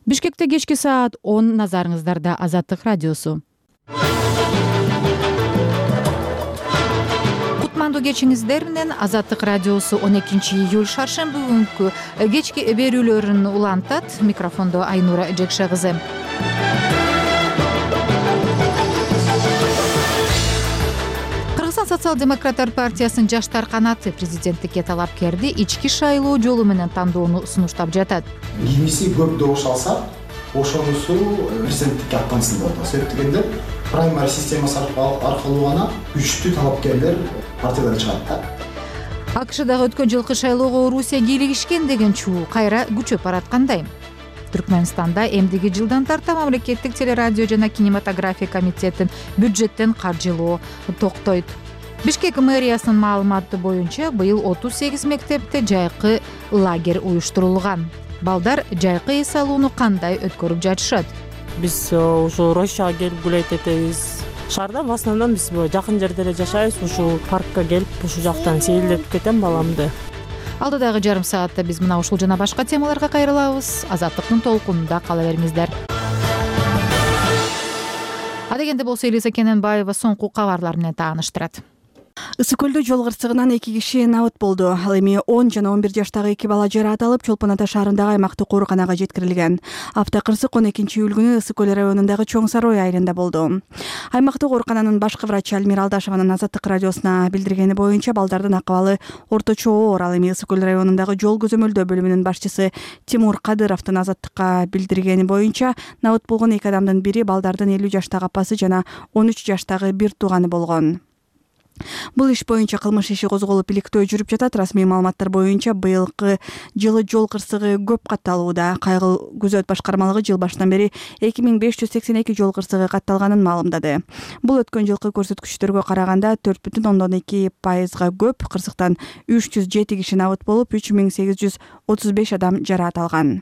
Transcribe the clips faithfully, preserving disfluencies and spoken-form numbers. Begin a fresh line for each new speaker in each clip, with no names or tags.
Бишкекте кечки саат он, назарыңыздарда Азаттык радиосу. Кутмандуу кечиңиздер менен Азаттык радиосу он экинчи июль шаршемби күнкү кечки берүүлөрүн улантат. Микрофондо Айнура Жекше кызы. Кыргызстан социал-демократтар партиясынын жаштар канаты президенттикке талапкерди ички шайлоо жолу менен тандоону сунуштап жатат.
Кимиси көп добуш алса, ошонусу президенттикке аттансын деп атат. Себеп дегенде праймари системасы аркылуу гана күчтүү талапкерлер партиядан чыгат да.
АКШдагы өткөн жылкы шайлоого Орусия кийлигишкен деген чуу кайра күчөп бараткандай? Түркмөнстанда эмдиги жылдан тарта мамлекеттик телерадио жана кинематография комитетин бюджеттен каржылоо токтойт. Бишкек мэриясынын маалыматы боюнча быйыл отуз сегиз мектепте жайкы лагерь уюштурулган. Балдар жайкы эс алууну кандай өткөрүп жатышат?
Биз ушу Рощага келип гулейт этебиз. Шаарда в основном биз жакын жерде эле жашайбыз. Ушул паркка келип, ушул жактан сейилдеп кетем баламды.
Алдыдагы жарым саатта биз мына ушул жана башка темаларга кайрылабыз. Азаттыктын толкунунда кала бериңиздер. Адегенде болсо Элиза Кененбаева соңку кабарлар менен тааныштырат.
Ысык көлдө жол кырсыгынан эки киши набыт болду. Ал эми он жана он бир жаштагы эки бала жаратылып, Чолпон Ата шаарындагы аймактык ооруканага жеткирилген. Автокырсык он экинчи июль күнү Ысык көл районундагы Чоң Сарой айылында болду. Аймактык оорукананын башкы врачы Альмира Алдашеванын Азаттык радиосуна билдиргени боюнча балдардын акыбалы орточо оор. Ал эми Ысык көл районундагы жол көзөмөлдөө бөлүмүнүн башчысы Тимур Кадыровдун Азаттыкка билдиргени боюнча набыт болгон эки адамдын бири балдардын элүү жаштагы апасы жана он үч жаштагы бир тууганы болгон. Бул иш боюнча кылмыш иши козголуп иликтөө жүрүп жатат. Расмий маалыматтар боюнча быйылкы жылы жол кырсыгы көп катталууда. Кайгыл күзөт башкармалыгы жыл башынан бери эки миң беш жүз сексен эки жол кырсыгы катталганын маалымдады. Бул өткөн жылкы көрсөткүчтөргө караганда төрт бүтүн ондон эки пайызга көп. Кырсыктан үч жүз жети киши набыт болуп, үч миң сегиз жүз отуз беш адам жараат алган.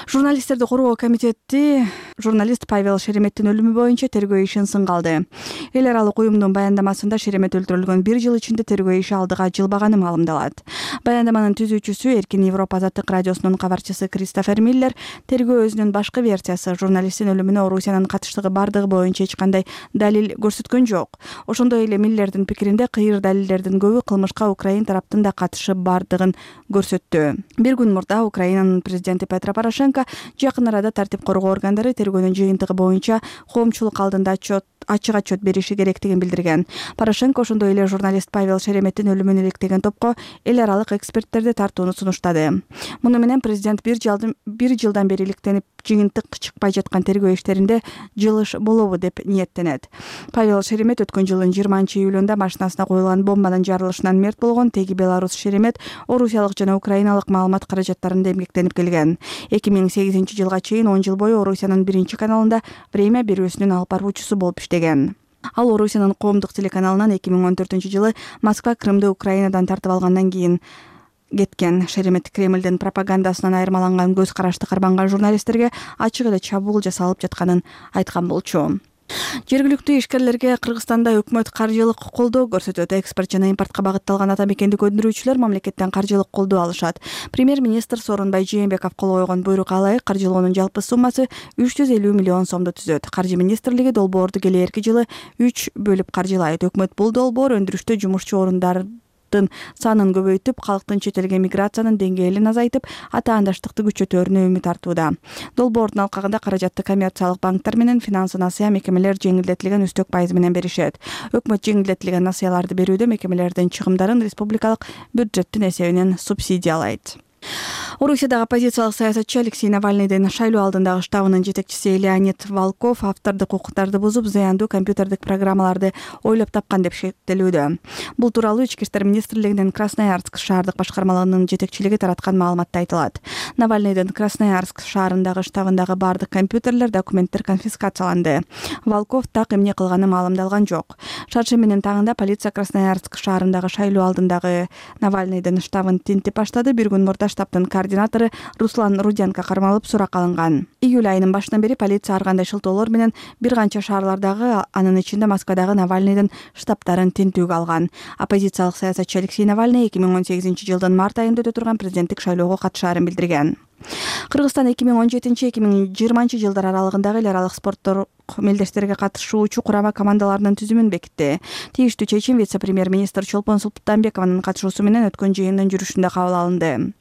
Журналисттерди коргоо комитети журналист Павел Шереметтин өлүмү боюнча тергөө ишин сынга алды. Эл аралык уюмдун баяндамасында Шеремет өлтүрүлгөн бир жыл ичинде тергөө иши алдыга жылбаганы маалымдалат. Баяндаманын түзүүчүсү Эркин Европа Азаттык радиосунун кабарчысы Кристофер Миллер тергөө өзүнүн башкы версиясы журналисттин өлүмүнө Орусиянын катыштыгы бардыгы боюнча эч кандай далил көрсөткөн жок. Ошондой эле Миллердин пикиринде кыйыр далилдердин көбү кылмышка Украин тараптын да катышы бардыгын көрсөттү. Бир күн мурда Украинанын президенти Петро Порошенко жакын арада тартип коргоо органдары тергөөнүн жыйынтыгы боюнча коомчулук алдында отчет ачык отчет бериши керектигин билдирген. Порошенко ошондой эле журналист Павел Шереметтин өлүмүн иликтеген топко эл аралык эксперттерди тартууну сунуштады. Муну менен президент бир жылдан бир жылдан бери иликтенип жыйынтык чыкпай жаткан тергөө иштеринде жылыш болобу деп ниеттенет. Павел Шеремет өткөн жылдын жыйырманчы июлунда машинасына коюлган бомбанын жарылышынан мерт болгон. Теги Беларусь Шеремет орусиялык жана украиналык маалымат каражаттарында эмгектенип келген. эки миң сегизинчи жылга чейин он жыл бою Орусиянын биринчи каналында время берүүсүнүн алып баруучусу болуп иштеген. Ал Орусиянын коомдук телеканалынан эки миң он төртүнчү жылы Москва Крымды Украинадан тартып алгандан кийин кеткен. Шеремет Кремлдин пропагандасынан айырмаланган көз карашты карманган журналисттерге ачык эле чабуул жасалып жатканын айткан болчу. Жергиликтүү ишкерлерге Кыргызстанда өкмөт каржылык колдоо көрсөтөт. Экспорт жана импортко багытталган ата мекендик өндүрүүчүлөр мамлекеттен каржылык колдоо алышат. Премьер-министр Сооронбай Жээнбеков кол койгон буйрукка ылайык каржылоонун жалпы суммасы үч жүз элүү миллион сомду түзөт. Каржы министрлиги долбоорду келээрки жылы үч бөлүп каржылайт. Өкмөт бул долбоор өндүрүштө жумушчу орундар санын көбөйтүп, калктын чет элге миграциянын деңгээлин азайтып, атаандаштыкты күчөтөөрүнө үмүт артууда. Долбоордун алкагында каражатты коммерциялык банктар менен финансы насыя мекемелер жеңилдетилген үстөк пайыз менен беришет. Өкмөт жеңилдетилген насыяларды берүүдө мекемелердин чыгымдарын республикалык бюджеттин эсебинен субсидиялайт. Орусиядагы оппозициялык саясатчы Алексей Навальныйдын шайлоо алдындагы штабынын жетекчиси Леонид Волков автордук укуктарды бузуп, зыяндуу компьютердик программаларды ойлоп тапкан деп шектелүүдө. Бул тууралуу Ички иштер министрлигинин Красноярск шаардык башкармалыгынын жетекчилиги тараткан маалыматта айтылат. Навальныйдын Красноярск шаарындагы штабындагы бардык компьютерлер, документтер конфискацияланды. Волков так эмне кылганы маалымдалган жок. Шаршембинин таңында полиция Красноярск шаарындагы шайлоо алдындагы Навальныйдын штабын тинтип баштады. Бир күн мурда учурунда штабтын координатору Руслан Руденко кармалып суракка алынган. Июль айынын башынан бери полиция ар кандай шылтоолор менен бир канча шаарлардагы, анын ичинде Москвадагы Навальныйдын штабтарын тинтүүгө алган. Оппозициялык саясатчы Алексей Навальный эки миң он сегизинчи жылдын март айында өтө турган президенттик шайлоого катышаарын билдирген. Кыргызстан эки миң он жетинчи эки миң жыйырманчы жылдар аралыгындагы эл аралык спорттук мелдештерге катышуучу курама командаларынын түзүмүн бекитти. Тийиштүү чечим вице-премьер-министр Чолпон Султанбекованын катышуусу менен өткөн жыйындын жүрүшүндө кабыл алынды.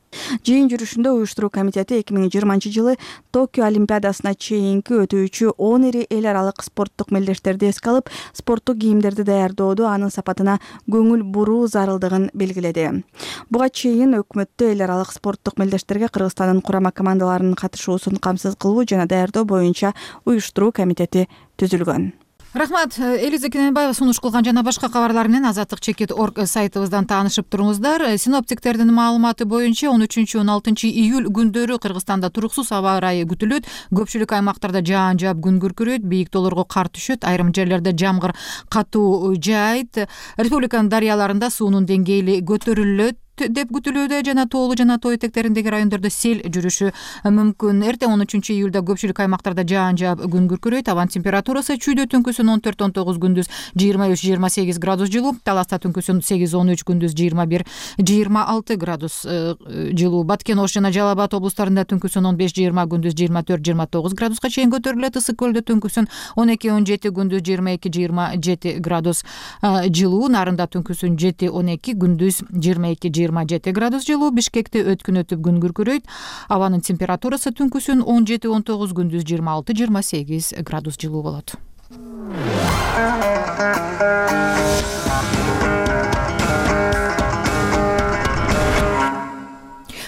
Жыйын жүрүшүндө уюштуруу комитети эки миң жыйырманчы жылы Токио Олимпиадасына чейинки өтүүчү он ири эл аралык спорттук мелдештерди эске алып, спорттук кийимдерди даярдоодо анын сапатына көңүл буруу зарылдыгын белгиледи. Буга чейин өкмөттө эл аралык спорттук мелдештерге Кыргызстандын курама командаларынын катышуусун камсыз кылуу жана даярдоо боюнча уюштуруу комитети түзүлгөн.
Рахмат, Элиза Кененбаева сунуш кылган жана башка кабарлар менен азаттык чекит точка орг сайтыбыздан таанышып туруңуздар. Синоптиктердин маалыматы боюнча он үчүнчү он алтынчы июль күндөрү Кыргызстанда туруксуз аба ырайы күтүлөт. Көпчүлүк аймактарда жаан жаап, күн күркүрөйт, бийик тоолорго кар түшөт, айрым жерлерде жамгыр катуу жаайт. Республиканын дарыяларында суунун деңгээли көтөрүлөт деп күтүлүүдө жана тоолуу жана тоо этектериндеги райондордо сел жүрүшү мүмкүн. Эртең он үчүнчү июлда көпчүлүк аймактарда жаан жаап, күн күркүрөйт. Абанын температурасы чүйдө түнкүсүн он төрт он тогуз, күндүз жыйырма үч жыйырма сегиз градус жылуу, Таласта түнкүсүн сегиз он үч, күндүз жыйырма бир жыйырма алты градус жылуу. Баткен, Ош жана Жалал Абад облустарында түнкүсүн он беш жыйырма, күндүз жыйырма төрт жыйырма тогуз градуска чейин көтөрүлөт. Ысык көлдө түнкүсүн он эки он жети, күндүз жыйырма эки жыйырма жети градус жылуу. Нарында түнкүсүн жети он эки, күндүз жыйырма эки жыйырма жети градус жылуу. Бишкекте өткүн өтүп күн күркүрөйт. Абанын температурасы түнкүсүн он жети он тогуз, күндүз жыйырма алты жыйырма сегиз градус жылуу болот.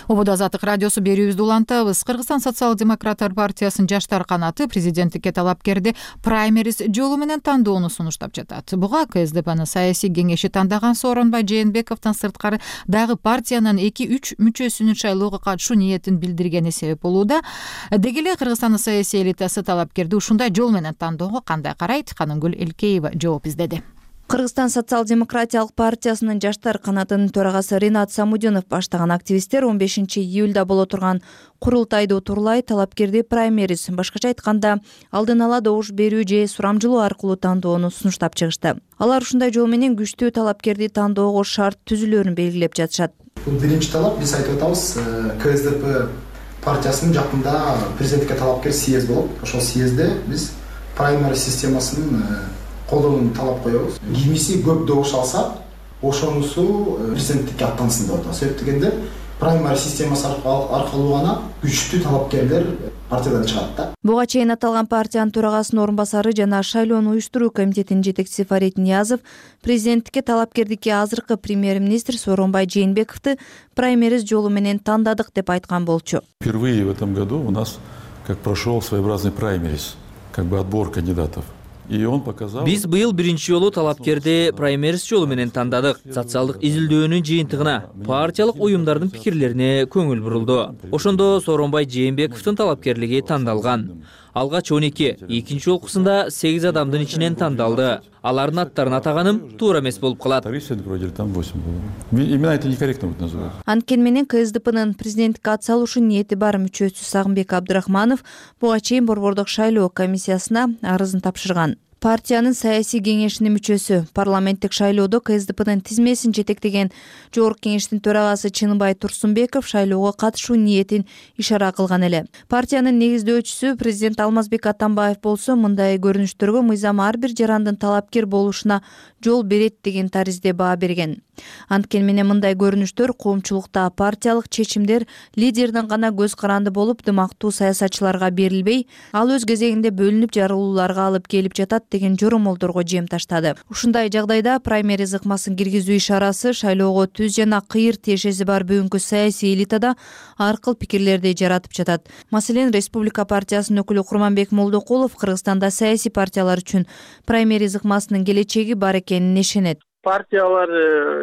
Ободо Азаттык радиосу берүүбүздү улантабыз. Кыргызстан социал-демократтар партиясынын жаштар канаты президенттикке талапкерди праймериз жолу менен тандоону сунуштап жатат. Буга КСДПнын саясий кеңеши тандаган Сооронбай Жээнбековдон сырткары дагы партиянын эки үч мүчөсүнүн шайлоого катышуу ниетин билдиргени себеп болууда. Деги эле Кыргызстандын саясий элитасы талапкерди ушундай жол менен тандоого кандай карайт? Канымгүл Элкеева жооп издеди.
Кыргызстан социал-демократиялык партиясынын жаштар канатынын төрагасы Ринат Самудинов баштаган активисттер он бешинчи июлда боло турган курултайды утурлай талапкерди праймериз, башкача айтканда алдын ала добуш берүү же сурамжылоо аркылуу тандоону сунуштап чыгышты. Алар ушундай жол менен күчтүү талапкерди тандоого шарт түзүлөрүн белгилеп жатышат.
Бул биринчи талап, биз айтып атабыз, КСДП партиясынын жакында президенттикке талапкер съезд болот. Ошол съездде биз праймериз системасын колдонууну талап коебуз. Кимиси көп добуш алса, ошонусу президенттикке аттансын деп атабыз. Себеп дегенде праймериз системасы аркылуу гана күчтүү талапкерлер партиядан чыгат да.
Буга чейин аталган партиянын төрагасынын орун басары жана шайлоону уюштуруу комитетинин жетекчиси Фарид Ниязов президенттикке талапкердикке азыркы премьер-министр Сооронбай Жээнбековду праймериз жолу менен тандадык деп айткан болчу.
Впервые в этом году у нас как прошел своеобразный праймериз, как бы отбор кандидатов.
Биз быйыл биринчи жолу талапкерди праймериз жолу менен тандадык. Социалдык изилдөөнүн жыйынтыгына, партиялык уюмдардын пикирлерине көңүл бурулду. Ошондо Сооронбай Жээнбековдун талапкерлиги тандалган. Алгач он эки, экинчи жолкусунда сегиз адамдын ичинен тандалды. Алардын аттарын атаганым туура эмес болуп калат.
Именно это некорректно будет называть.
Анткени менен КСДПнын президенттикке ат салушу ниети бар мүчөсү Сагынбек Абдрахманов буга чейин борбордук шайлоо комиссиясына арызын тапшырган. Партиянын саясий кеңешинин мүчөсү парламенттик шайлоодо КСДПнын тизмесин жетектеген Жогорку кеңештин төрагасы Чыныбай Турсунбеков шайлоого катышуу ниетин ишара кылган эле. Партиянын негиздөөчүсү президент Алмазбек Атамбаев болсо мындай көрүнүштөргө мыйзам ар бир жарандын талапкер болушуна жол берет деген таризде баа берген. Анткени менен мындай көрүнүштөр коомчулукта партиялык чечимдер лидердин гана көз каранды болуп, дымактуу саясатчыларга берилбей, ал өз кезегинде бөлүнүп жарылууларга алып келип жатат деген жоромолдорго жем таштады. Ушундай жагдайда праймериз ыкмасын киргизүү ишарасы шайлоого түз жана кыйыр тиешеси бар бүгүнкү саясий элитада ар кыл пикирлерди жаратып жатат. Маселен, Республика партиясынын өкүлү Курманбек Молдокулов Кыргызстанда саясий партиялар үчүн праймериз ыкмасынын келечеги бар экенин ишенет.
Партиялар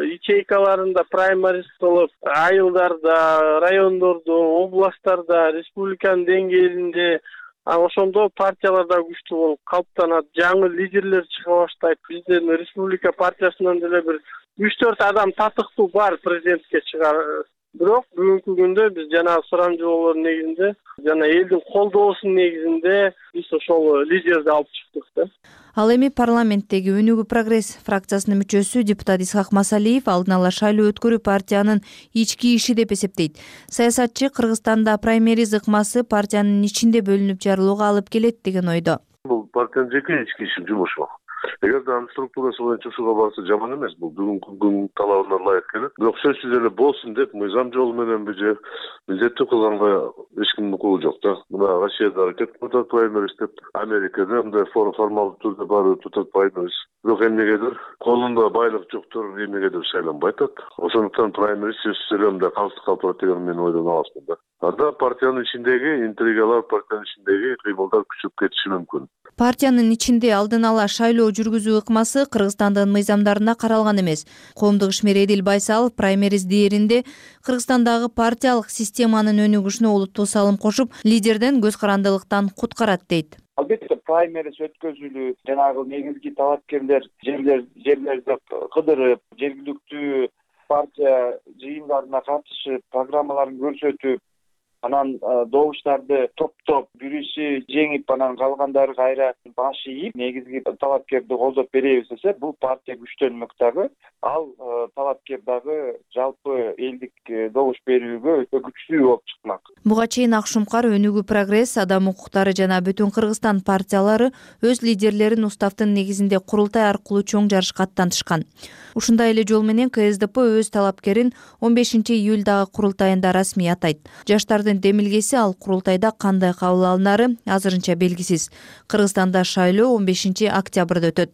ячейкаларында праймериз кылып, айылдарда, райондордо, областтарда, республиканын деңгээлинде ошондо партияларда күчтүү болуп калыптанат, жаңы лидерлер чыга баштайт. Биздин республика партиясынан деле бир үч төрт адам татыктуу бар президентке чыгар. бирок бүгүнкү күндө биз жанагы сурамжылоолордун негизинде жана элдин колдоосунун негизинде биз ошол лидерди алып чыктык да.
Ал эми парламенттеги Өнүгүү прогресс фракциясынын мүчөсү депутат Исхак Масалиев алдын ала шайлоо өткөрүү партиянын ички иши деп эсептейт. Саясатчы Кыргызстанда праймериз ыкмасы партиянын ичинде бөлүнүп жарылууга алып келет деген ойдо.
Бул партиянын жеке ички иши жумушу. Эгерде анын структурасы боюнча ушуга барса жаман эмес, бул бүгүнкү күндүн талабына ылайык келет. Бирок сөзсүз эле болсун деп мыйзам жолу менен же милдеттүү кылганга эч кимдин укугу жок да. Мына Россияда аракет кылып атат праймериз деп, Америкада мындай формалдуу түрдө барып атат праймериз. Бирок эмнегедир колунда байлык жоктор эмнегедир шайланбай атат. Ошондуктан праймериз сөзсүз эле мындай камсыз калып турат деген мен ойдон аласмын да. Анда партиянын ичиндеги интригалар, партиянын ичиндеги кыймылдар күчөп кетиши мүмкүн.
Партиянын ичинде алдын ала шайлоо жүргүзүү ыкмасы Кыргызстандын мыйзамдарына каралган эмес. Коомдук ишмер Эдил Байсалов праймериз дээринде Кыргызстандагы партиялык системанын өнүгүшүнө олуттуу салым кошуп, лидерден көз карандылыктан куткарат дейт.
Албетте праймериз өткөзүлүү, жанагы негизги талапкерлер жерлер жерлерди кыдырып, жергиликтүү партия жыйындарына катышып, программаларын көрсөтүп, анан добуштарды топтоп бирisi жеңип, анан калгандары кайра баш ийип, негизги талапкерди колдоп беребиз десе, бул партия күчтөнмөк дагы, ал талапкер дагы жалпы элдик добуш берүүгө өтө күчтүү болуп чыкмак.
Буга чейин Ак Шумкар, Өнүгүү прогресс, Адам укуктары жана Бүтүн Кыргызстан партиялары өз лидерлерин уставдын негизинде курултай аркылуу чоң жарышка аттантышкан. Ушундай эле жол менен Ка Эс Д П өз талапкерин он бешинчи июлдагы курултайында расмий атайт. Жаштардын демилгеси ал курултайда кандай кабыл алынары азырынча белгисиз. Кыргызстанда шайлоо он бешинчи октябрда өтөт.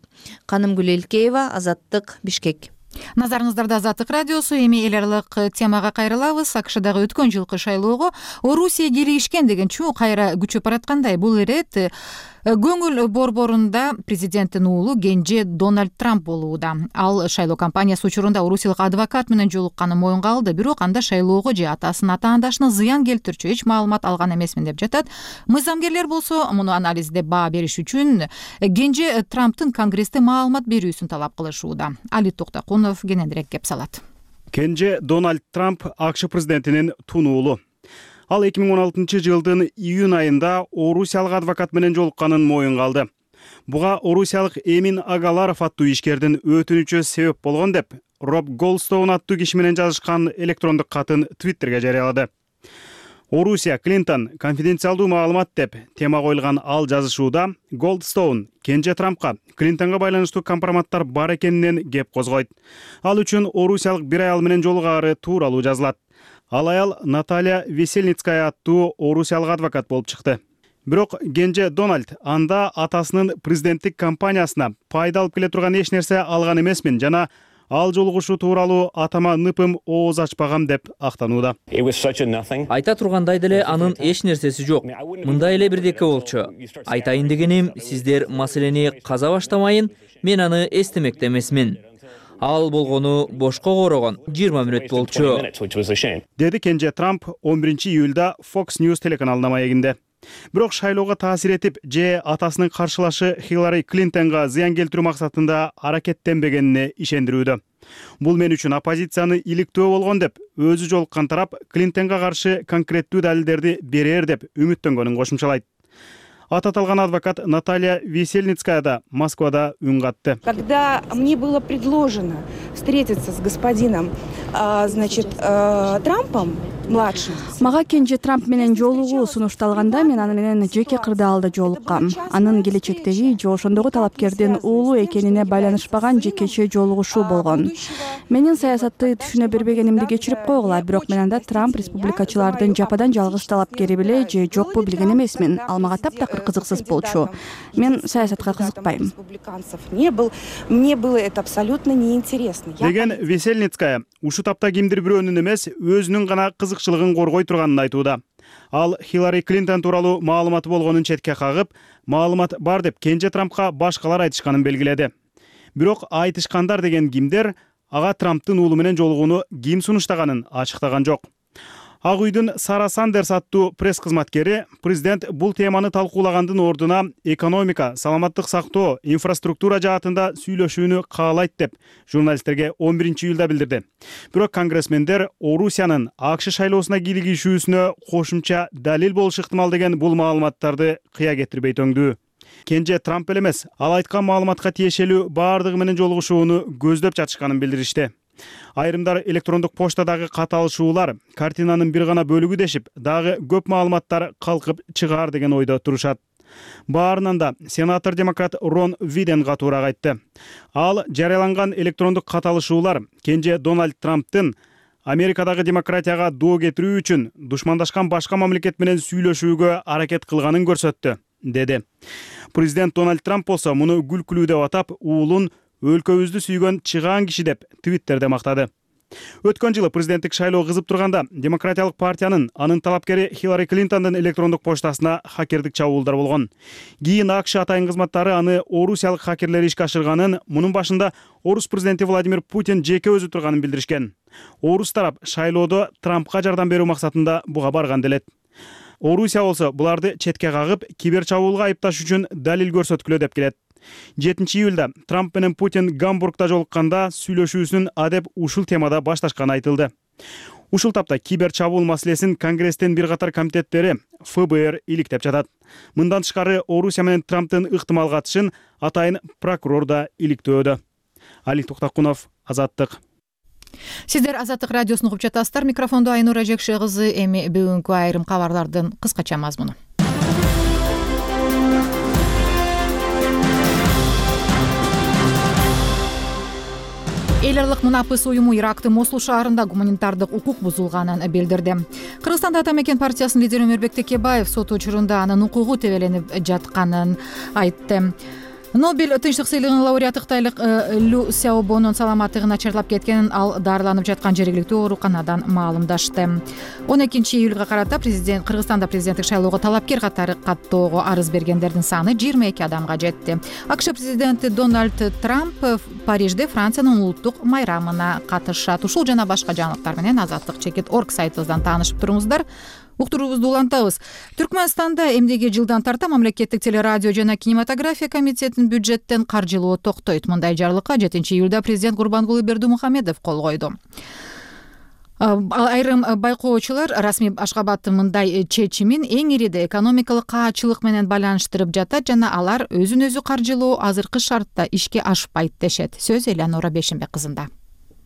Канымгүл Элкеева, Азаттык, Бишкек.
Назарыңыздарда Азаттык радиосу. Эми эл аралык темага кайрылабыз. АКШ дагы өткөн жылкы шайлоого Орусия кийлигишкен деген чуу кайра күчөп бараткандай. Бул ирет көңүл борборунда президенттин уулу Кенже Дональд Трамп болууда. Ал шайлоо кампаниясы учурунда орусиялык адвокат менен жолукканын моюнга алды, бирок анда шайлоого же атасынын ата-андашына зыян келтирчү эч маалымат алган эмесмин деп жатат. Мыйзамгерлер болсо муну анализдеп баа бериш үчүн Кенже Трамптын Конгрессте маалымат берүүсүн талап кылышууда. Али Токтокунов кененирээк кеп салат.
Кенже Дональд Трамп АКШ президентинин тун уулу. Ал эки миң он алтынчы жылдын июнь айында орусиялык адвокат менен жолукканын моюнга алды. Буга орусиялык Эмин Агаларов аттуу ишкердин өтүнүчү себеп болгон деп Роб Голдстоун аттуу киши менен жазышкан электрондук катын Твиттерге жарыялады. Орусия Клинтон конфиденциалдуу маалымат деп тема коюлган ал жазышууда Голдстоун Кенже Трампка Клинтонго байланыштуу компроматтар бар экенинен кеп козгойт. Ал үчүн орусиялык бир аял менен жолугаары тууралуу жазылат. Ал аял Наталья Весельницкая аттуу орусиялык адвокат болуп чыкты. Бирок Кенже Дональд анда атасынын президенттик кампаниясына пайда алып келе турган эч нерсе алган эмесмин жана ал жолугушуу тууралуу атама ныпым ооз ачпагам деп актанууда.
Айта тургандай деле анын эч нерсеси жок. Мындай эле бирдеке болчу. Айтайын дегеним, сиздер маселени каза баштамайын, мен аны эстемекте эмесмин. Ал болгону бошко корогон жыйырма мүнөт болчу.
Деди Кенже Трамп он биринчи июлда Fox News телеканалына маегинде. Бирок шайлоого таасир этип же атасынын каршылашы Хиллари Клинтонго зыян келтирүү максатында аракеттенбегенине ишендирүүдө. Бул мен үчүн оппозицияны иликтөө болгон деп өзү жолуккан тарап Клинтонго каршы конкреттүү далилдерди берер деп үмүттөнгөнүн кошумчалайт. Аты аталган адвокат Наталья Весельницкая да Москвада үн катты.
Когда мне было предложено встретиться с господином, значит, Трампом младшим.
Мага Кенже Трамп менен жолугуу сунушталганда мен аны менен жеке кырдаалда жолуккам. Анын келечектеги же ошондогу талапкердин уулу экенине байланышпаган жекече жолугушуу болгон. Менин саясатты түшүнө бербегенимди кечирип койгула, бирок мен анда Трамп республикачылардын жападан жалгыз талапкери беле же жокпу билген эмесмин. Ал мага таптакыр кызыксыз болчу. Мен саясатка кызыкпайм.
Не был, мне было это абсолютно неинтересно.
Деген Весельницкая ушу тапта кимдир бирөөнүн эмес, өзүнүн гана кызыкчылыгын коргой турганын айтууда. Ал Хиллари Клинтон тууралуу маалыматы болгонун четке кагып, маалымат бар деп Кенже Трампка башкалар айтышканын белгиледи. Бирок айтышкандар деген кимдер ага Трамптын уулу менен жолугууну ким сунуштаганын ачыктаган жок. Ак үйдүн Сара Сандерс аттуу пресс кызматкери президент бул теманы талкуулагандын ордуна экономика, саламаттык сактоо, инфраструктура жаатында сүйлөшүүнү каалайт деп журналисттерге он биринчи июлда билдирди. Бирок конгрессмендер Орусиянын АКШ шайлоосуна кийлигишүүсүнө кошумча далил болушу ыктымал деген бул маалыматтарды кыя кетирбей төңдүү. Кенже Трамп эле эмес, ал айткан маалыматка тиешелүү баардыгы менен жолугушууну көздөп жатышканын билдиришти. Айрымдар электрондук поштадагы каталышуулар картинанын бир гана бөлүгү дешип, дагы көп маалыматтар калкып чыгаар деген ойдо турушат. Баарынан да сенатор демократ Рон Виден катуураак айтты. Ал жарыяланган электрондук каталышуулар кенже Дональд Трамптын Америкадагы демократияга доо кетирүү үчүн душмандашкан башка мамлекет менен сүйлөшүүгө аракет кылганын көрсөттү, деди. Президент Дональд Трамп болсо муну күлкүлүү деп атап, уулун өлкөбүздү сүйгөн чыгаан киши деп Твиттерде мактады. Өткөн жылы президенттик шайлоо кызып турганда Демократиялык партиянын анын талапкери Хиллари Клинтондун электрондук поштасына хакердик чабуулдар болгон. Кийин АКШ атайын кызматтары аны орусиялык хакерлер ишке ашырганын, мунун башында орус президенти Владимир Путин жеке өзү турганын билдиришкен. Орус тарап шайлоодо Трампка жардам берүү максатында буга барган делет. Орусия болсо буларды четке кагып, кибер чабуулга айыпташ үчүн далил көрсөткүлө деп келет. жетинчи июлда Трамп менен Путин Гамбургда жолукканда сүйлөшүүсүнүн адеп ушул темада башташканы айтылды. Ушул тапта кибер чабуул маселесин Конгресстин бир катар комитеттери эф бэ эр иликтеп жатат. Мындан тышкары Орусия менен Трамптын ыктымал катышын атайын прокурор да иликтөөдө. Али Токтакунов, Азаттык.
Сиздер Азаттык радиосун угуп жатасыздар. Микрофондо Айнура Жекше кызы. Эми бүгүнкү айрым кабарлардын кыскача мазмуну. Эл аралык мунапыс уюму Ирактын Мосул шаарында гуманитардык укук бузулганын билдирди. Кыргызстанда Ата мекен партиясынын лидери Өмөрбек Текебаев сот учурунда анын укугу тебеленип жатканын айтты. Нобель тынчтык сыйлыгынын лауреаты кытайлык Лю Сяобонун саламаттыгы начарлап кеткенин, ал дарыланып жаткан жергиликтүү ооруканадан маалымдашты. он экинчи июлга карата президент Кыргызстанда президенттик шайлоого талапкер катары каттоого арыз бергендердин саны жыйырма эки адамга жетти. АКШ президенти Дональд Трамп Парижде Франциянын улуттук майрамына катышат. Ушул жана башка жаңылыктар менен азаттык чекит точка орг сайтыбыздан таанышып туруңуздар. Уктуруубузду улантабыз. Түркмөнстанда эмдиги жылдан тарта мамлекеттик телерадио жана кинематография комитетинин бюджеттен каржылоо токтойт. Мындай жарлыкка жетинчи июлда президент Гурбангулы Бердимухамедов кол койду. Айрым байкоочулар расмий Ашгабадтын мындай чечимин эң ириде экономикалык каачылык менен байланыштырып жатат жана алар өзүн өзү каржылоо азыркы шартта ишке ашпайт дешет. Сөз Элянора Бешимбек кызында.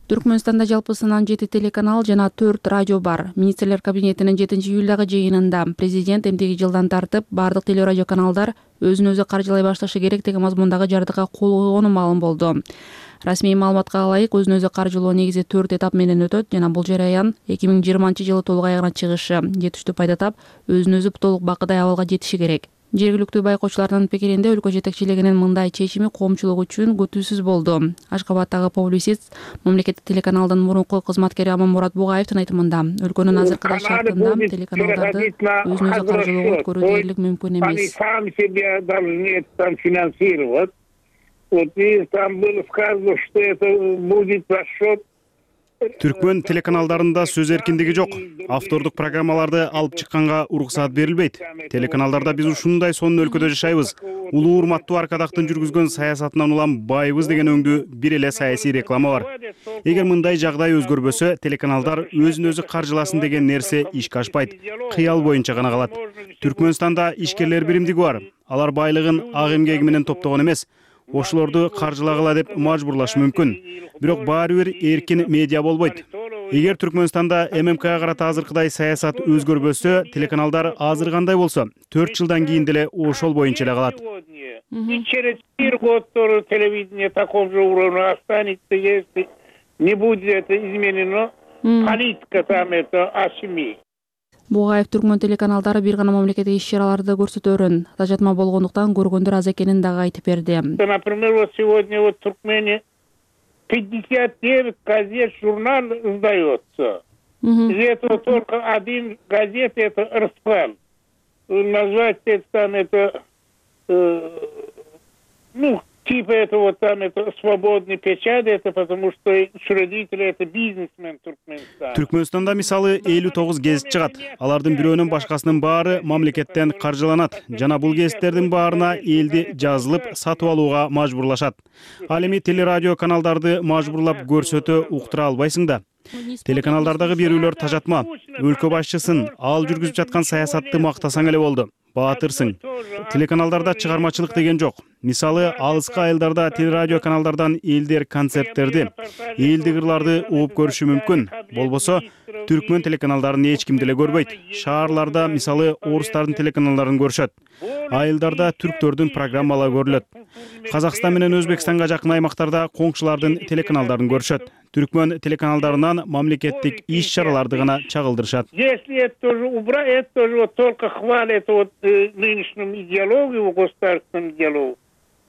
Түркмөнстанда жалпысынан жети телеканал жана төрт радио бар. Министрлер кабинетинин жетинчи июлдагы жыйынында президент эмдиги жылдан тартып бардык телерадио каналдар өзүн өзү каржылай башташы керек деген мазмундагы жардыкка кол койгону маалым болду. Расмий маалыматка ылайык өзүн өзү каржылоо негизи төрт этап менен өтөт жана бул жараян эки миң жыйырманчы жылы толук аягына чыгышы, жетиштүү пайда тап, өзүн өзү толук бакыдай абалга жетиши керек. Жергиликтүү байкоочулардын пикиринде өлкө жетекчилигинин мындай чечими коомчулук үчүн күтүүсүз болду. Ашгабадтагы публицист, мамлекеттик телеканалдын мурунку кызматкери Аманмурат Бугаевдин айтымында, өлкөнүн азыркы шартында телеканалдарды өзүн өзү каржылоого өткөрүү дээрлик мүмкүн эмес.
Сам себя должны там финансировать. Вот и там было сказано, что это будет за счет.
Түркмөн телеканалдарында сөз эркиндиги жок. Автордук программаларды алып чыкканга уруксаат берилбейт. Телеканалдарда биз ушундай сонун өлкөдө жашайбыз. Улуу урматтуу Аркадактын жүргүзгөн саясатынан улам байыбыз деген өңдүү бир эле саясий реклама бар. Эгер мындай жагдай өзгөрбөсө, телеканалдар өзүн өзү каржыласын деген нерсе ишке ашпайт. Кыял боюнча гана калат. Түркмөнстанда ишкерлер биримдиги бар. Алар байлыгын ак эмгеги менен топтогон эмес. Ошолорду каржылагыла деп мажбурлаш мүмкүн. Бирок баары бир эркин медиа болбойт. Эгер Түркмөнстанда эм эм кга карата азыркыдай саясат өзгөрбөсө, телеканалдар азыр кандай болсо, төрт жылдан кийин деле ошол боюнча эле калат.
И через четыре года тоже телевидение такого же уровня останется, если не будет это изменено. Политика там это ошибка.
Бугаев Түркмөн телеканалдары бир гана мамлекеттик иш-чараларды көрсөтөрүн, тажатма болгондуктан көргөндөр аз экенин дагы айтып берди.
Например, вот сегодня вот в Туркмении пятьдесят девять газет, журнал издается. Из этого только один газет, это РСП. Назвать это там, это, э, ну, типа это вот там это свободный печать, это потому что учредители это бизнесмен Туркменстана.
Түркмөнстанда мисалы элүү тогуз гезит чыгат. Алардын бирөөнүн башкасынын баары мамлекеттен каржыланат жана бул гезиттердин баарына элди жазылып сатып алууга мажбурлашат. Ал эми телерадио каналдарды мажбурлап көрсөтө уктура албайсың да. Телеканалдардагы берүүлөр тажатма. Өлкө башчысын, ал жүргүзүп жаткан саясатты мактасаң эле болду. Баатырсың. Телеканалдарда чыгармачылык деген жок. Мисалы, алыскы айылдарда телерадио каналдардан элдер концерттерди, элдик ырларды угуп көрүшү мүмкүн. Болбосо, түркмөн телеканалдарын эч ким деле көрбөйт. Шаарларда, мисалы, орустардын телеканалдарын көрүшөт. Айылдарда түрктөрдүн программалары көрүлөт. Казакстан менен Өзбекстанга жакын аймактарда коңшулардын телеканалдарын көрүшөт. Түркмөн телеканалдарынан мамлекеттик иш-чараларды гана чагылдырышат.
Если это тоже убрать, это тоже вот только хвалят вот э, нынешнюю идеологию, государственную идеологию.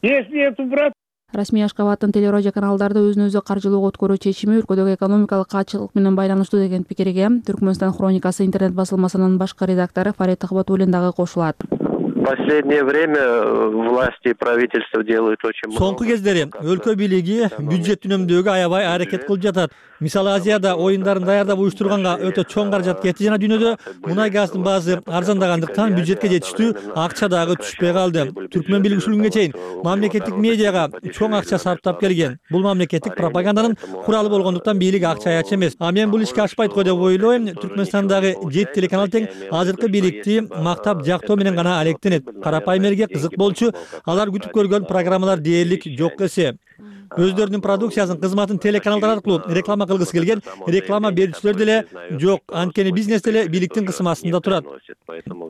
Если это убрать,
Расмий Ашкабадтын телерадио каналдарды өзүн өзү каржылоого өткөрүү чечими өлкөдөгү экономикалык каатчылык менен байланыштуу деген пикирге Түркмөнстан хроникасы интернет басылмасынын башкы редактору Фарид Ахбатуллин дагы кошулат.
В последнее время власти и правительство делают очень много.
Соңку кездери өлкө бийлиги бюджет үнөмдөөгө аябай аракет кылып жатат. Мисалы Азияда оюндарын даярдап уюштурганга өтө чоң каражат кетти жана дүйнөдө мунай газдын баасы арзандагандыктан бюджетке жетиштүү акча дагы түшпөй калды. Түркмөн бийлиги ушунгө чейин мамлекеттик медиага чоң акча сарптап келген. Бул мамлекеттик пропаганданын куралы болгондуктан бийлик акча аяч эмес. А мен бул ишке ашпайт го деп ойлойм. Түркмөнстандагы жети телеканал тең азыркы бийликти мактап жактоо менен гана алектенет. Карапайым элге кызык болчу, алар күтүп көргөн программалар дээрлик жок эсе. Өздөрүнүн продукциясын, кызматын телеканалдар аркылуу реклама кылгысы келген реклама берүүчүлөр деле жок. Анткени бизнес деле бийликтин кысым астында турат.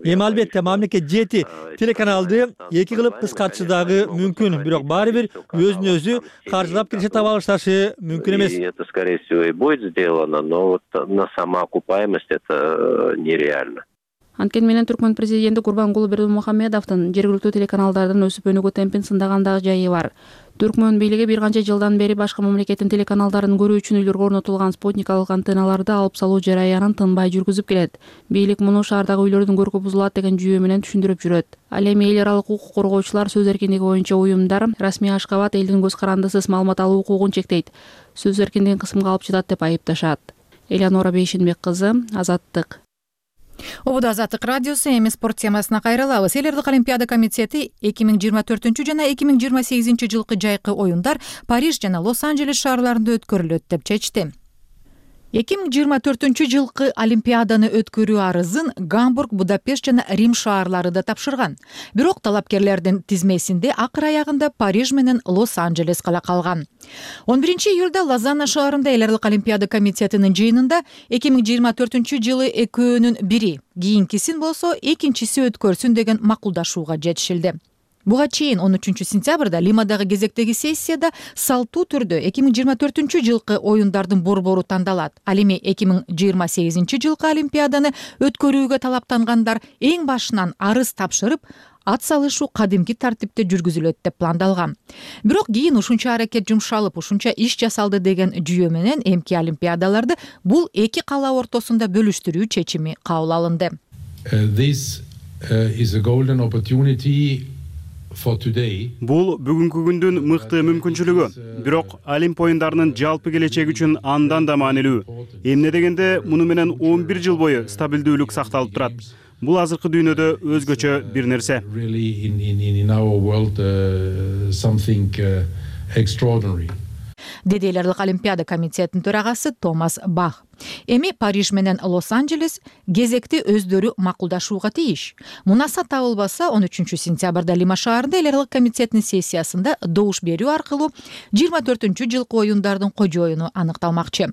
Эми албетте мамлекет жети телеканалды эки кылып кыскартышы дагы мүмкүн, бирок баары бир өзүн өзү каржылап киреше таба алышташы мүмкүн эмес.
Это, скорее всего, и будет сделано, но вот на самоокупаемость это нереально.
Анткени менен Түркмөн президенти Курбангулы Бердимухамедовдун жергиликтүү телеканалдардын өсүп өнүгүү темпин сындагандагы жайы бар. Түркмөн бийлиги бир канча жылдан бери башка мамлекеттин телеканалдарын көрүү үчүн үйлөргө орнотулган спутникалык антенналарды алып салуу жараянын тынбай жүргүзүп келет. Бийлик муну шаардагы үйлөрдүн көркү бузулат деген жүйө менен түшүндүрүп жүрөт. Ал эми эл аралык укук коргоочулар сөз эркиндиги боюнча уюмдар Расмий Ашкабад элдин көз карандысыз маалымат алуу укугун чектейт, сөз эркиндигин кысымга алып жатат деп айыпташат. Элеонора Бейшенбек кызы, Азаттык.
Обуда Азаттык радиосу, эми спорт темасына кайрылабыз. Эл элдик олимпиада комитети эки миң жыйырма төртүнчү жана эки миң жыйырма сегизинчи жылкы жайкы оюндар Париж жана Лос-Анджелес шаарларында өткөрүлөт деп чечти. эки миң жыйырма төртүнчү жылкы олимпиаданы өткөрүү арызын Гамбург, Будапешт жана Рим шаарлары да тапшырган. Бирок талапкерлердин тизмесинде акыр аягында Париж менен Лос-Анджелес гана калган. он биринчи июлда Лозанна шаарында Эл элдик олимпиада комитетинин жыйынында эки миң жыйырма төртүнчү жылы экөөнүн бири, кийинкисин болсо экинчиси өткөрсүн деген макулдашууга жетишилди. Буга чейин он үчүнчү сентябрда Лимадагы кезектеги сессияда салттуу түрдө эки миң жыйырма төртүнчү жылкы оюндардын борбору тандалат. Ал эми эки миң жыйырма сегизинчи жылкы олимпиаданы өткөрүүгө талаптангандар эң башынан арыз тапшырып, ат салышуу кадимки тартипте жүргүзүлөт деп пландалган. Бирок кийин ушунча аракет жумшалып, ушунча иш жасалды деген жүйө менен эмки олимпиадаларды бул эки кала ортосунда бөлүштүрүү чечими кабыл алынды.
This is a golden opportunity.
Бул бүгүнкү күндүн мыкты мүмкүнчүлүгү. Бирок Олимп оюндарынын жалпы келечеги үчүн андан да маанилүү. Эмне дегенде муну менен он бир жыл бою стабилдүүлүк сакталып турат. Бул азыркы дүйнөдө өзгөчө бир нерсе. Деди Эл элдик олимпиада комитетинин төрагасы Томас Бах. Эми Париж менен Лос-Анджелес кезекти өздөрү макулдашууга тийиш. Мунаса табылбаса он үчүнчү сентябрда Лима шаарында Эл элдик комитетинин сессиясында добуш берүү аркылуу жыйырма төртүнчү жылкы оюндардын кожоюну аныкталмакчы.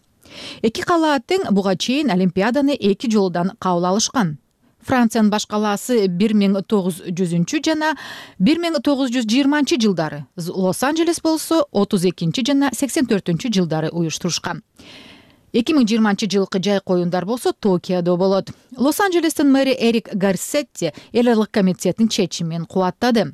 Эки кала тең буга чейин олимпиаданы эки жолудан кабыл алышкан. Франциянын баш калаасы бир миң тогуз жүзүнчү жана бир миң тогуз жүз жыйырманчы жылдары, Лос-Анджелес болсо отуз экинчи жана сексен төртүнчү жылдары уюштурушкан. эки миң жыйырманчы жылкы жайкы оюндар болсо Токиодо болот. Лос-Анджелестин мэри Эрик Гарсетти Эл элдик комитетинин чечимин кубаттады.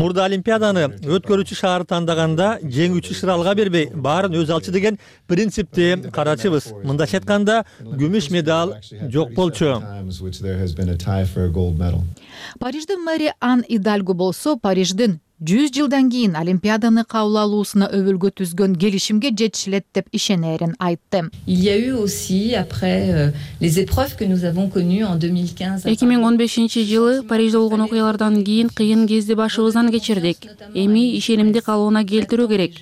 Мурда Олимпиаданы өткөрүүчү шаары тандаганда жеңүүчү шыралга бербей, баарын өз алчы деген принципти карачыбыз. Мындайча айтканда, күмүш медаль жок болчу.
Париждин мэри Ан Идальго болсо, Париждин жүз жылдан кийин Олимпиаданы кабыл алуусуна өбөлгө түзгөн келишимге жетишилет деп ишенерин айтты.
эки миң он бешинчи жылы Парижде болгон окуялардан кийин кыйын кезде башыбыздан кечирдик. Эми ишенимди калыбына келтирүү керек.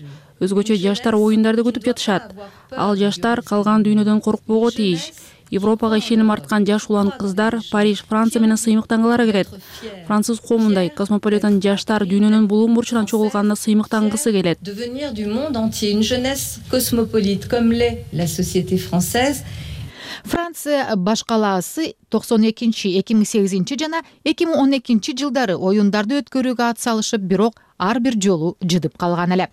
Өзгөчө жаштар оюндарды күтүп жатышат. Ал жаштар калган дүйнөдөн коркпого тийиш. Европага ишеним арткан жаш улан кыздар Париж, Франция менен сыймыктангылары келет. Француз коомундай космополитен жаштар дүйнөнүн булуун бурчунан чогулганына сыймыктангысы келет.
Франция башкалаасы токсон экинчи, эки миң сегизинчи жана эки миң он экинчи жылдары оюндарды өткөрүүгө ат салышып, бирок ар бир жолу жыдып калган эле.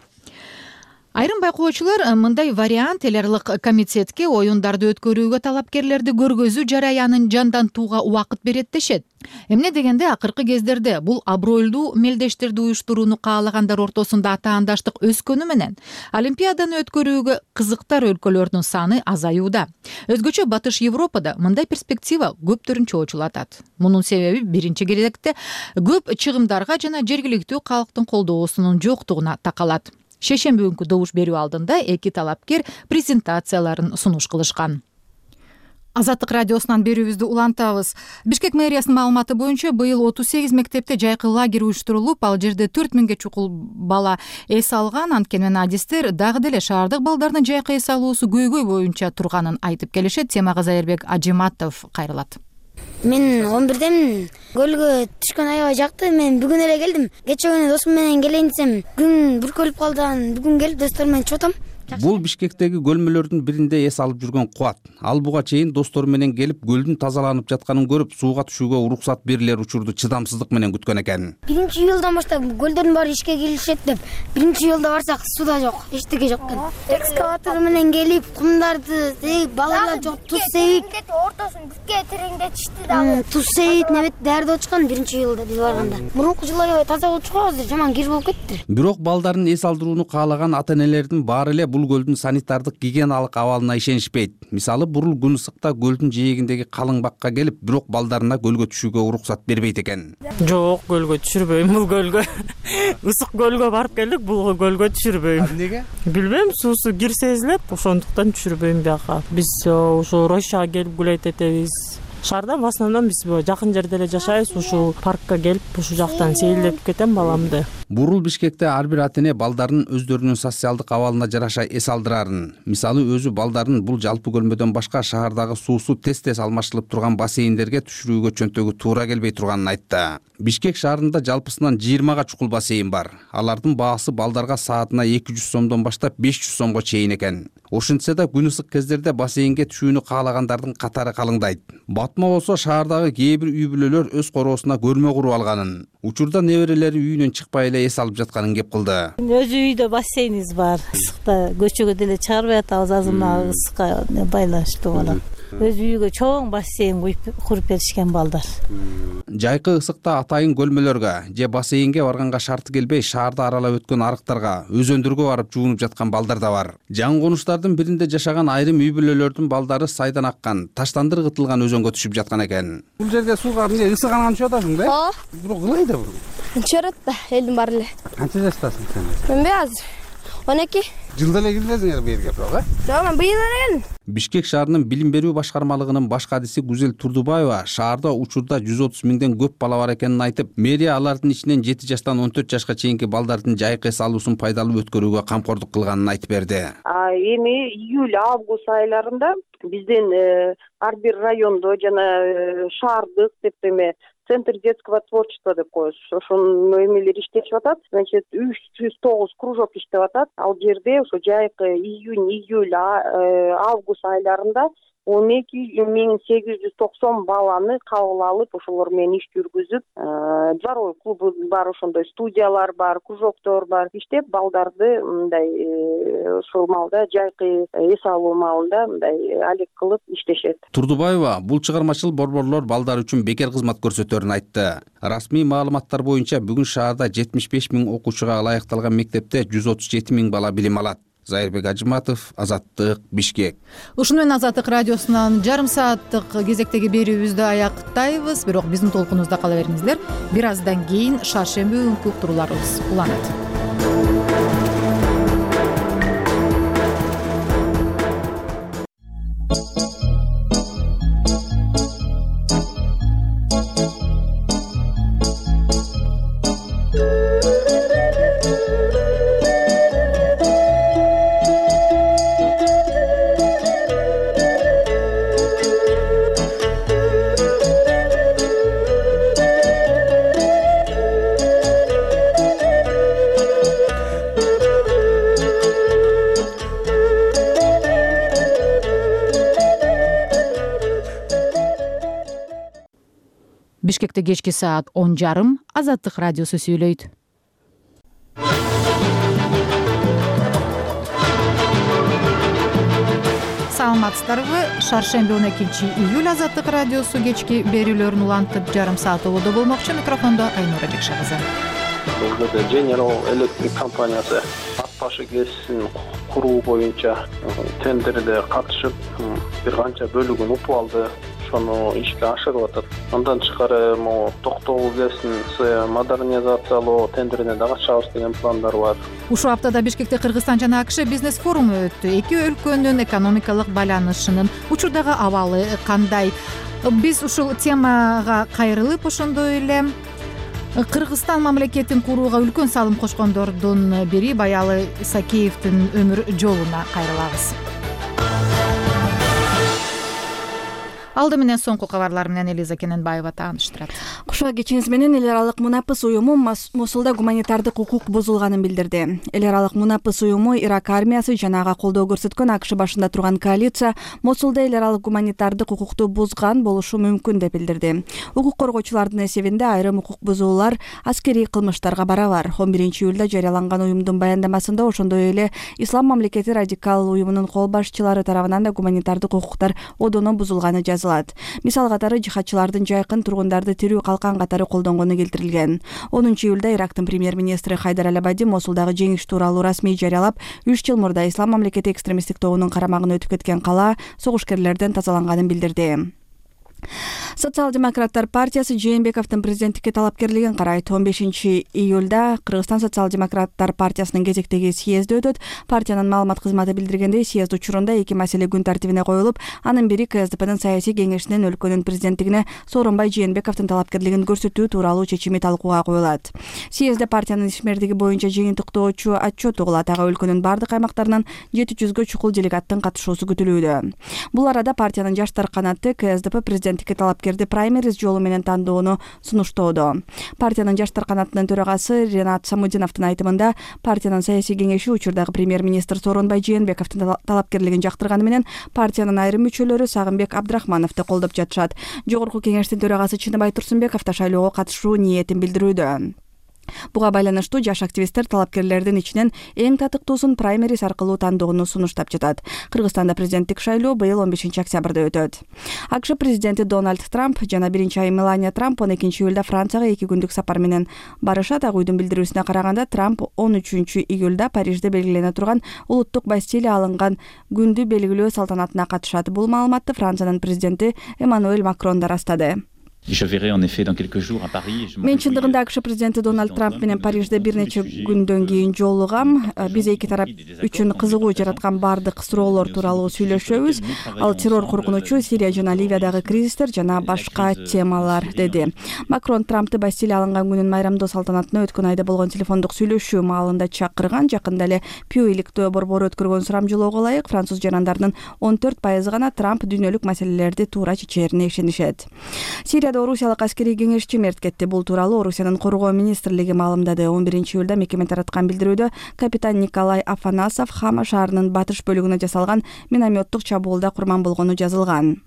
Айрым байкоочулар мындай вариант телеарлык комитетке оюндарды өткөрүүгө талапкерлерди көргөзүү жараянын жандантууга убакыт берет дешет. Эмне дегенде акыркы кездерде бул абройлуу мелдештерди уюштурууну каалагандар ортосунда атаандаштык өскөнү менен Олимпиаданы өткөрүүгө кызыктар өлкөлөрдүн саны азаюуда. Өзгөчө Батыш Европада мындай перспектива көптөрүн чоочулатат. Мунун себеби биринчи кезекте көп чыгымдарга жана жергиликтүү калктын колдоосунун жоктугуна такалат. Шешемби күнкү добуш берүү алдында эки талапкер презентацияларын сунуш кылышкан. Азаттык радиосунан берүүбүздү улантабыз. Бишкек мэриясынын маалыматы боюнча быйыл отуз сегиз мектепте жайкы лагерь уюштурулуп, ал жерде төрт миңге чукул бала эс алган. Анткени адистер дагы деле шаардык балдардын жайкы эс алуусу көйгөй боюнча турганын айтып келишет. Темага Зайырбек Ажиматов кайрылат.
Мен он бирдемин. Көлгө түшкөн аябай жакты. Мен бүгүн эле келдим. Кече күнү досум менен келейин десем, күн бүркөлүп калды. Бүгүн келип достор менен чыгып атам.
Бул Бишкектеги көлмөлөрдүн биринде эс алып жүргөн Кубат. Ал буга чейин достору менен келип көлдүн тазаланып жатканын көрүп, сууга түшүүгө уруксат берилер учурду чыдамсыздык менен күткөн экен.
Биринчи июлдан баштап көлдөрдүн баары ишке киришет деп, биринчи июлда барсак суда жок, эчтеке жок экен. Экскаватор менен келип кумдарды сейип, балалар жок, туз сейип, ортосун бүткө тереңдетишти дагы. Туз сейип, небет даярдап отчукан биринчи июлда биз барганда. Мурунку жылы аябай таза болчу, азыр жаман кир болуп кетти.
Бирок балдарын эс алдырууну каалаган ата-энелердин баары эле бул көлдүн санитардык гигиеналык абалына ишенишпейт. Мисалы, бурул күн ысыкта көлдүн жээгиндеги калың бакка келип, бирок балдарына көлгө түшүүгө уруксат бербейт экен.
Жок, көлгө түшүрбөйм бул көлгө. Ысык көлгө барып келдик, бул көлгө түшүрбөйм.
Эмнеге?
Билбейм, суусу кир сезилет, ошондуктан түшүрбөйм бияка. Биз ошо Рощага келип гулейт этебиз. Шаарда в основном биз жакын жерде эле жашайбыз, ушул паркка келип, ушул жактан сейилдетип кетем баламды.
Бурул Бишкекте ар бир ата-эне балдарын өздөрүнүн социалдык абалына жараша эс алдырарын. Мисалы, өзү балдарын бул жалпы көлмөдөн башка шаардагы суусу тез-тез алмаштырылып турган бассейндерге түшүрүүгө чөнтөгү туура келбей турганын айтты. Бишкек шаарында жалпысынан жыйырмага чукул бассейн бар. Алардын баасы балдарга саатына эки жүз сомдон баштап беш жүз сомго чейин экен. Ошентсе да күн ысык кездерде бассейнге түшүүнү каалагандардын катары калыңдайт. Батма болсо шаардагы кээ бир үй бүлөлөр өз короосуна көрмө куруп алганын, учурда неберелери үйүнөн чыкпай эле эс алып жатканын кеп кылды.
Өз үйдө бассейнибиз бар. Ысыкта көчөгө деле чыгарбай атабыз, азыр мына ысыкка байланыштуу болот. Өз үйгө чоң бассейн куруп беришкен балдар.
Жайкы ысыкта атайын көлмөлөргө же бассейнге барганга шарты келбей, шаарды аралап өткөн арыктарга, өзөндөргө барып жуунуп жаткан балдар да бар. Жаңы конуштардын биринде жашаган айрым үй бүлөлөрдүн балдары сайдан аккан, таштандыр кытылган өзөнгө түшүп жаткан экен.
Бул жерге сууга эмне ысыганан түшүп атасың да?
Ооба.
Бирок кылай да бул.
Чөрөт да, элдин баары эле.
Канча жаштасың сен?
Мен азыр он эки.
Жылда эле келдиңер бу жерге, бирок, э?
Жок, мен быйыл эле келдим.
Бишкек шаарынын билим берүү башкармалыгынын баш кадиси Гүзел Турдубаева шаарда учурда жүз отуз миңден көп бала бар экенин айтып, мэрия алардын ичинен жети жаштан он төрт жашка чейинки балдардын жайкы эс алуусун пайдалуу өткөрүүгө камкордук кылганын айтып берди.
Эми июль август айларында биздин ар бир райондо жана шаардык деп эме Центр детского творчества деп коебуз. Ошонун эмелери иштешип атат. Значит, үч жүз тогуз кружок иштеп атат. Ал жерде ошо жайкы июнь, июль, август айларында он эки миң сегиз жүз токсон баланы кабыл алып ошолор менен иш жүргүзүп, дворовой клубу бар, ошондой студиялар бар, кружоктор бар, иштеп балдарды мындай ушул маалда жайкы эс алуу маалында мындай алек кылып иштешет.
Турдубаева бул чыгармачыл борборлор балдар үчүн бекер кызмат көрсөтөрүн айтты. Расмий маалыматтар боюнча бүгүн шаарда жетимиш беш миң окуучуга ылайыкталган мектепте жүз отуз жети миң бала билим алат. Зайырбек Ажыматов, Азаттык, Бишкек.
Ушуну менен Азаттык радиосунан жарым сааттык кезектеги берүүбүздү аяктайбыз, бирок биздин толкунубузда кала бериңиздер. Бир аздан кийин шаршемби күнкү уктурууларыбыз уланат. Бишкекте кечки саат он жарым, Азаттык радиосу сүйлөйт. Саламатсыздарбы? Шаршемби он экинчи июль Азаттык радиосу кечки берүүлөрүн улантып жарым саат болодо болмокчу. Микрофондо Айнура Бекшагызы.
General Electric компаниясы ат башы кесисин куруу боюнча тендерде катышып, бир канча бөлүгүн упуп алды. Ошону ишке ашырып атат. Андан тышкары могу Токтогул КЭСин модернизациялоо тендерине да катышабыз деген пландар бар.
Ушул аптада Бишкекте Кыргызстан жана АКШ бизнес форуму өттү. Эки өлкөнүн экономикалык байланышынын учурдагы абалы кандай? Биз ушул темага кайрылып, ошондой эле Кыргызстан мамлекетин курууга үлкөн салым кошкондордун бири Баялы Исакеевдин өмүр жолуна кайрылабыз. Алды менен соңку кабарлар менен Элиза Кененбаева тааныштырат.
Куша кечиңиз менен эл аралык Мунапыс уюму Мосулда гуманитардык укук бузулганын билдирди. Эл аралык Мунапыс уюму Ирак армиясы жана ага колдоо көрсөткөн АКШ башында турган коалиция Мосулда эл аралык гуманитардык укукту бузган болушу мүмкүн деп билдирди. Укук коргоочулардын эсебинде айрым укук бузуулар аскерий кылмыштарга барабар. он биринчи июлда жарыяланган уюмдун баяндамасында ошондой эле Ислам мамлекети радикал уюмунун кол башчылары тарабынан да гуманитардык укуктар одоно бузулганы жазылат. Мисал катары жихадчылардын жайкын тургундарды тирүү калкан катары колдонгону келтирилген. онунчу июлда Ирактын премьер-министри Хайдар Аль-Абади Мосулдагы жеңиш тууралуу расмий жарыялап, үч жыл мурда Ислам мамлекети экстремисттик тобунун карамагына өтүп кеткен кала согушкерлерден тазаланганын билдирди. Социал-демократтар партиясы Жээнбековдун президенттикке талапкерлигин карайт. он бешинчи июлда Кыргызстан социал-демократтар партиясынын кезектеги съезди өтөт. Партиянын маалымат кызматы билдиргендей, съезд учурунда эки маселе күн тартибине коюлуп, анын бири КСДПнын саясий кеңешинин өлкөнүн президенттигине Сооронбай Жээнбековдун талапкерлигин көрсөтүү тууралуу чечими талкууга коюлат. Съездде партиянын ишмердиги боюнча жыйынтыктоочу отчет угулат. Ага өлкөнүн бардык аймактарынан жети жүзгө чукул делегаттын катышуусу күтүлүүдө. Бул арада партиянын жаштар канаты КСДП президенттикке талапкерди праймериз жолу менен тандоону сунуштоодо. Партиянын жаштар канатынын төрагасы Ренат Самудиновдун айтымында, партиянын саясий кеңеши учурдагы премьер-министр Сооронбай Жээнбековдун талапкерлигин жактырганы менен партиянын айрым мүчөлөрү Сагынбек Абдрахмановду колдоп жатышат. Жогорку кеңештин төрагасы Чыныбай Турсунбеков да шайлоого катышуу ниетин билдирүүдө. Буга байланыштуу жаш активисттер талапкерлердин ичинен эң татыктуусун праймериз аркылуу тандоону сунуштап жатат. Кыргызстанда президенттик шайлоо быйыл он бешинчи октябрда өтөт. АКШ президенти Дональд Трамп жана биринчи айым Мелания Трамп он экинчи июлда Францияга эки күндүк сапар менен барышат. Ак үйдүн билдирүүсүнө караганда, Трамп он үчүнчү июлда Парижде белгилене турган улуттук Бастилия алынган күндү белгилөө салтанатына катышат. Бул маалыматты Франциянын президенти Эммануэль Макрон да растады. Мен чындыгында АКШ президенти Дональд Трамп менен Парижде бир нече күндөн кийин жолугам. Биз эки тарап үчүн кызыгуу жараткан бардык суроолор тууралуу сүйлөшөбүз. Ал террор коркунучу, Сирия жана Ливиядагы кризистер жана башка темалар, деди. Макрон Трампты Бастилия алынган күнүн майрамдоо салтанатына өткөн айда болгон телефондук сүйлөшүү маалында чакырган. Жакында эле Пью иликтөө борбору өткөргөн сурамжылоого ылайык француз жарандарынын он төрт пайызы гана Трамп дүйнөлүк маселелерди туура чечерине ишенишет. Сирияда Россияда орусиялык аскерий кеңешчи мерт кетти. Бул тууралуу Орусиянын коргоо министрлиги маалымдады. он биринчи июлда мекеме тараткан билдирүүдө капитан Николай Афанасов Хама шаарынын батыш бөлүгүнө жасалган минометтук чабуулда курман болгону жазылган.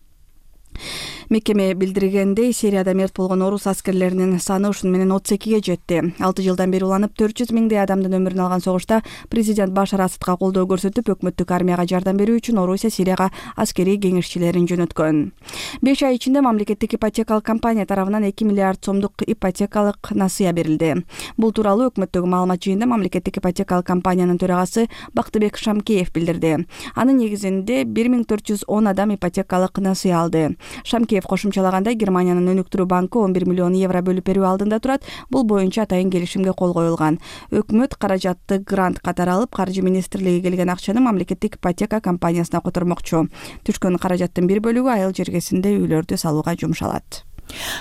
Мекеме билдиргендей, Сирияда мерт болгон орус аскерлеринин саны ушуну менен отуз экиге жетти. алты жылдан бери уланып төрт жүз миңдей адамдын өмүрүн алган согушта президент Башар Асадка колдоо көрсөтүп, өкмөттүк армияга жардам берүү үчүн Орусия Сирияга аскерий кеңешчилерин жөнөткөн. беш ай ичинде мамлекеттик ипотекалык компания тарабынан эки миллиард сомдук ипотекалык насыя берилди. Бул тууралуу өкмөттөгү маалымат жыйынында мамлекеттик ипотекалык компаниянын төрагасы Бактыбек Шамкеев билдирди. Анын негизинде бир миң төрт жүз он адам ипотекалык насыя алды. Шамкеев кошумчалагандай, Германиянын өнүктүрүү банкы он бир миллион евро бөлүп берүү алдында турат. Бул боюнча атайын келишимге кол коюлган. Өкмөт каражатты грант катары алып, каржы министрлиги келген акчаны мамлекеттик ипотека компаниясына котормокчу. Түшкөн каражаттын бир бөлүгү айыл жергесинде үйлөрдү салууга жумшалат.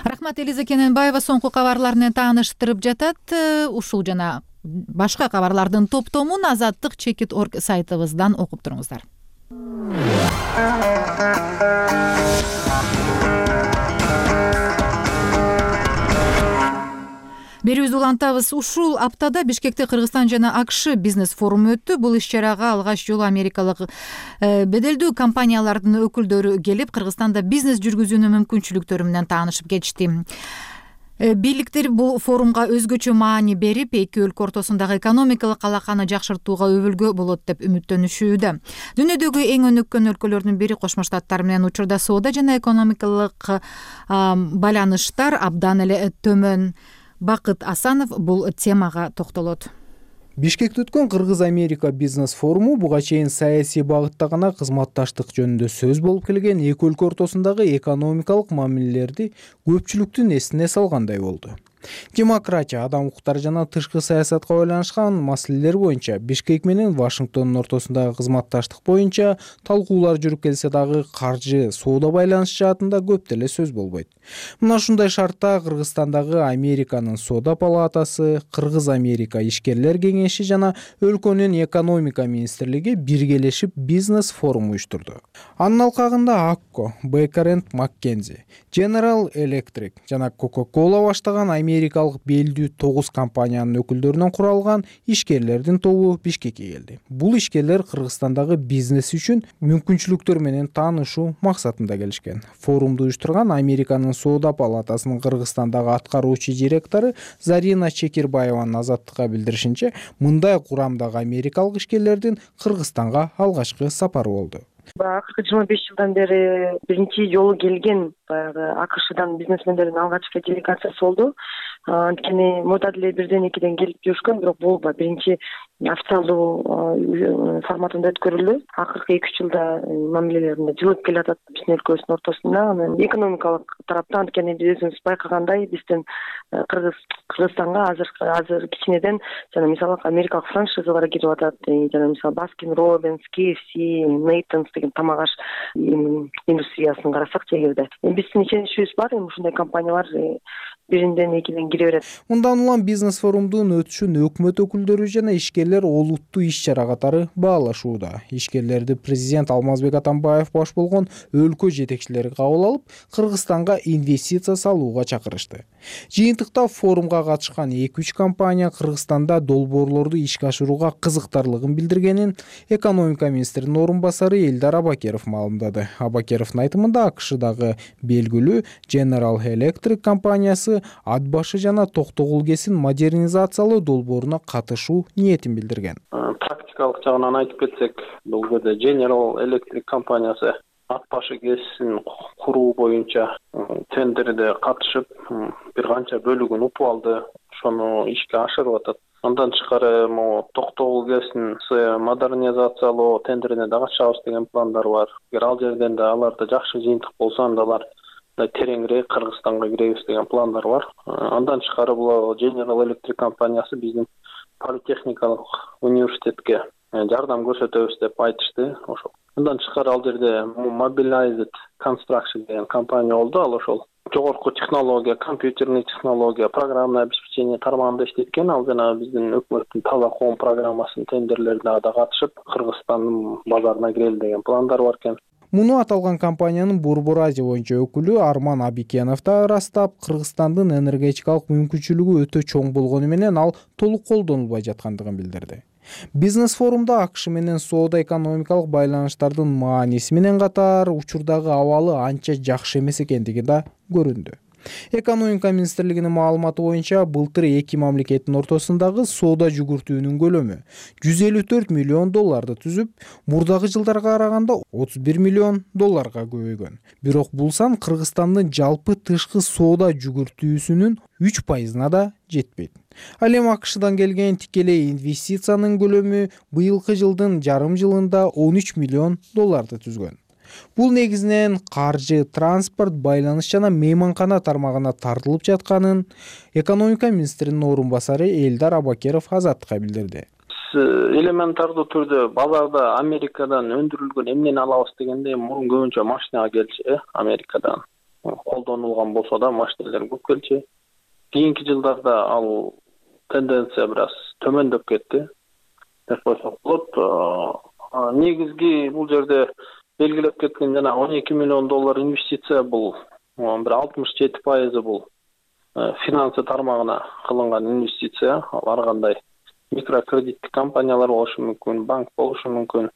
Рахмат, Элиза Кененбаева соңку кабарларынан тааныштырып жатат. Ушул жана башка кабарлардын топтомун азаттык чекит точка орг сайтыбыздан окуп туруңуздар. Берүүбүздү улантабыз. Ушул аптада Бишкекте Кыргызстан жана АКШ бизнес форуму өттү. Бул иш-чарага алгач жолу америкалык беделдүү компаниялардын өкүлдөрү келип, Кыргызстанда бизнес жүргүзүүнүн мүмкүнчүлүктөрү менен таанышып кетишти. Бийликтер бул форумга өзгөчө маани берип, эки өлкө ортосундагы экономикалык алаканы жакшыртууга өбүлгө болот деп үмүттөнүшүүдө. Дүйнөдөгү эң өнүккөн өлкөлөрдүн бири Кошмо Штаттар менен учурда соода жана экономикалык байланыштар абдан эле төмөн. Бакыт Асанов бул темага токтолот.
Бишкекте өткөн Кыргыз-Америка бизнес форуму буга чейин саясий багытта гана кызматташтык жөнүндө сөз болуп келген эки өлкө ортосундагы экономикалык мамилелерди көпчүлүктүн эсине салгандай болду. Демократия, адам укуктары жана тышкы саясатка байланышкан маселелер боюнча Бишкек менен Вашингтондун ортосундагы кызматташтык боюнча талкуулар жүрүп келсе дагы каржы, соода байланышы жаатында көп деле сөз болбойт. Мына ушундай шартта Кыргызстандагы Американын соода палатасы, Кыргыз-Америка ишкерлер кеңеши жана өлкөнүн экономика министрлиги биргелешип бизнес форум уюштурду. Анын алкагында Акко, Бейкер энд Маккензи, General Electric жана Coca-Cola баштаган америкалык белдүү тогуз компаниянын өкүлдөрүнөн куралган ишкерлердин тобу Бишкекке келди. Бул ишкерлер Кыргызстандагы бизнес үчүн мүмкүнчүлүктөр менен таанышуу максатында келишкен. Форумду уюштурган Американын соода палатасынын Кыргызстандагы аткаруучу директору Зарина Чекирбаеванын Азаттыкка билдиришинче, мындай курамдагы америкалык ишкерлердин Кыргызстанга алгачкы сапары болду.
Акыркы жыйырма беш жылдан бери биринчи жолу келген баягы АКШдан бизнесмендердин алгачкы делегациясы болду. Анткени мурда деле бирден экиден келип жүрүшкөн, бирок бул биринчи официалдуу форматында өткөрүлдү. Акыркы эки үч жылда мамилелеринде жылып келатат биздин өлкөбүздүн ортосунда. Анан экономикалык тараптан анткени биз өзүбүз байкагандай, биздин Кыргыз Кыргызстанга азыр азыр кичинеден жана мисалы америкалык франшизалар кирип атат. Жана мисалы Баскин Роббинс, Кей эф си, Нейтонс деген тамак аш индустриясын карасак чегирде. Биздин ишеничибиз бар, ушундай компаниялар биринден экиден кире берет.
Мындан улам бизнес форумдун өтүшүн өкмөт өкүлдөрү жана ишкерлер олуттуу иш-чара катары баалашууда. Ишкерлерди президент Алмазбек Атамбаев баш болгон өлкө жетекчилери кабыл алып, Кыргызстанга инвестиция салууга чакырышты. Жыйынтыкта форумга катышкан эки үч компания Кыргызстанда долбоорлорду ишке ашырууга кызыктарлыгын билдиргенин экономика министринин орун басары Элдар Абакеров маалымдады. Абакеровдун айтымында АКШдагы белгилүү General Electric компаниясы ат башы жана Токтогул КЭСин модернизациялоо долбооруна катышуу ниетин билдирген.
Практикалык жагынан айтып кетсек, бул жерде General Electric компаниясы ат башы КЭСин куруу боюнча тендерде катышып, бир канча бөлүгүн упуп алды, ошону ишке ашырып атат. Андан тышкары могу Токтогул КЭСин модернизациялоо тендерине да катышабыз деген пландар бар. Эгер ал жерден да аларда жакшы жыйынтык болсо, анда алар тереңирээк Кыргызстанга киребиз деген пландар бар. Андан тышкары бул General Electric компаниясы биздин политехникалык университетке жардам көрсөтөбүз деп айтышты. Ошол. Андан тышкары ал жерде Mobilized Construction деген компания болду. Ал ошол жогорку технология, компьютерный технология, программное обеспечение тармагында иштеткен. Ал жана биздин өкмөттүн таза коом программасынын тендерлерине да катышып, Кыргызстандын базарына кирели деген пландар бар экен.
Муну аталган компаниянын Борбор Азия боюнча өкүлү Арман Абикенов да ырастап, Кыргызстандын энергетикалык мүмкүнчүлүгү өтө чоң болгону менен ал толук колдонулбай жаткандыгын билдирди. Бизнес форумда АКШ менен соода экономикалык байланыштардын мааниси менен катар учурдагы абалы анча жакшы эмес экендиги да көрүндү. Экономика министрлигинин маалыматы боюнча былтыр эки мамлекеттин ортосундагы соода жүгүртүүнүн көлөмү жүз элүү төрт миллион долларды түзүп, мурдагы жылдарга караганда отуз бир миллион долларга көбөйгөн. Бирок бул сан Кыргызстандын жалпы тышкы соода жүгүртүүсүнүн үч пайызына да жетпейт. Ал эми АКШдан келген тикелей инвестициянын көлөмү быйылкы жылдын жарым жылында он үч миллион долларды түзгөн. Бул негизинен каржы, транспорт, байланыш жана мейманкана тармагына тартылып жатканын экономика министринин орун басары Элдар Абакеров Азаттыкка билдирди.
Элементардуу түрдө базарда Америкадан өндүрүлгөн эмнени алабыз дегенде мурун көбүнчө машинага келчү, э, Америкадан колдонулган болсо да машиналар көп келчү. Кийинки жылдарда ал тенденция бир аз төмөндөп кетти деп койсок болот. Негизги бул жерде белгилеп кеткен жана он эки миллион доллар инвестиция бул бир алтымыш жети пайызы бул финансы тармагына кылынган инвестиция. Ал ар кандай микрокредиттик компаниялар болушу мүмкүн, банк болушу мүмкүн.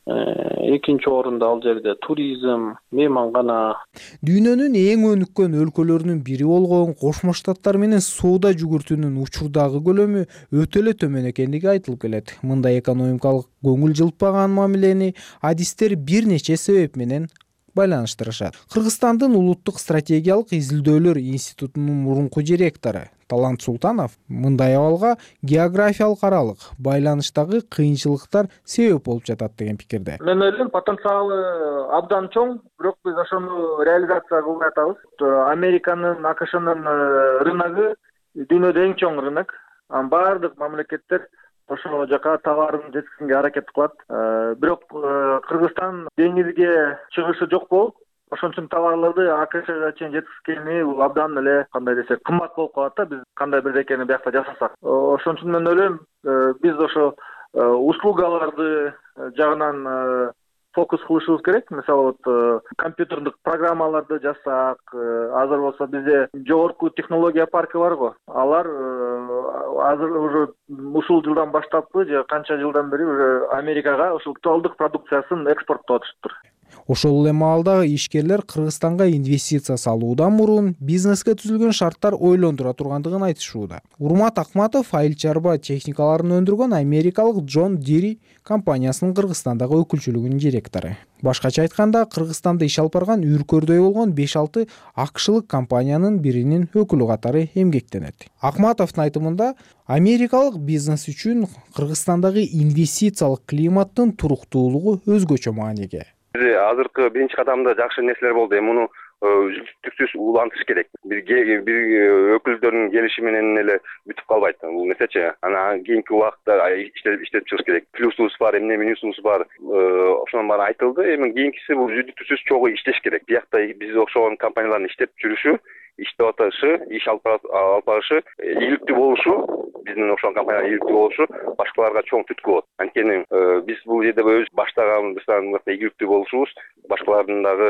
Экинчи орунда ал жерде туризм, мейманкана.
Дүйнөнүн эң өнүккөн өлкөлөрүнүн бири болгон Кошмо Штаттар менен соода жүгүртүүнүн учурдагы көлөмү өтө эле төмөн экендиги айтылып келет. Мындай экономикалык көңүл жылтпаган мамилени адистер бир нече себеп менен байланыштырышат. Кыргызстандын улуттук стратегиялык изилдөөлөр институтунун мурунку директору Талант Султанов мындай абалга географиялык аралык байланыштагы кыйынчылыктар себеп болуп жатат деген пикирде.
Мен ойлойм, потенциалы абдан чоң, бирок биз ошону реализация кылбай атабыз. Американын, АКШнын рыногу дүйнөдө эң чоң рынок. Баардык мамлекеттер ошол жака товарын жеткизүүгө аракет кылат. Бирок Кыргызстан деңизге чыгышы жок болуп, ошон үчүн товарларды АКШга чейин жеткизгени бул абдан эле кандай десек кымбат болуп калат да, биз кандай бирдекени биякта жасасак. Ошон үчүн мен ойлойм, биз ошо услугаларды жагынан фокус кылышыбыз керек. Мисалы вот компьютердик программаларды жасасак, азыр болсо бизде жогорку технология паркы бар го. Алар азыр уже ушул жылдан баштаппы же канча жылдан бери уже Америкага ушул тоолдук продукциясын экспорттоотуптур.
Ошол эле маалда ишкерлер Кыргызстанга инвестиция салуудан мурун бизнеске түзүлгөн шарттар ойлондура тургандыгын айтышууда. Урмат Акматов айыл чарба техникаларын өндүргөн америкалык Джон Дири компаниясынын Кыргызстандагы өкүлчүлүгүнүн директору. Башкача айтканда, Кыргызстанда иш алып барган үркөрдөй болгон беш алты акшылык компаниянын биринин өкүлү катары эмгектенет. Акматовдун айтымында, америкалык бизнес үчүн Кыргызстандагы инвестициялык климаттын туруктуулугу өзгөчө мааниге.
Азыркы биринчи кадамда жакшы нерселер болду. Муну үздүктүксүз улантыш керек. Бир бир өкүлдөрдүн келиши менен эле бүтүп калбайт. Бул нерсечи. Анан кийинки убакытта иштелип иштелип чыгыш керек. Плюсубуз бар, эмне минусубуз бар. Ошонун баары айтылды. Эми кийинкиси бул үздүктүксүз чогуу иштеш керек. Биякта биз окшогон компаниялардын иштеп жүрүшү, иштеп атышы, иш алып барышы, ийгиликтүү болушу, биздин окшогон компаниялар ийгиликтүү болушу башкаларга чоң түрткү болот. Анткени биз бул жерде өз баштаганыбыздан ийгиликтүү болушубуз башкалардын дагы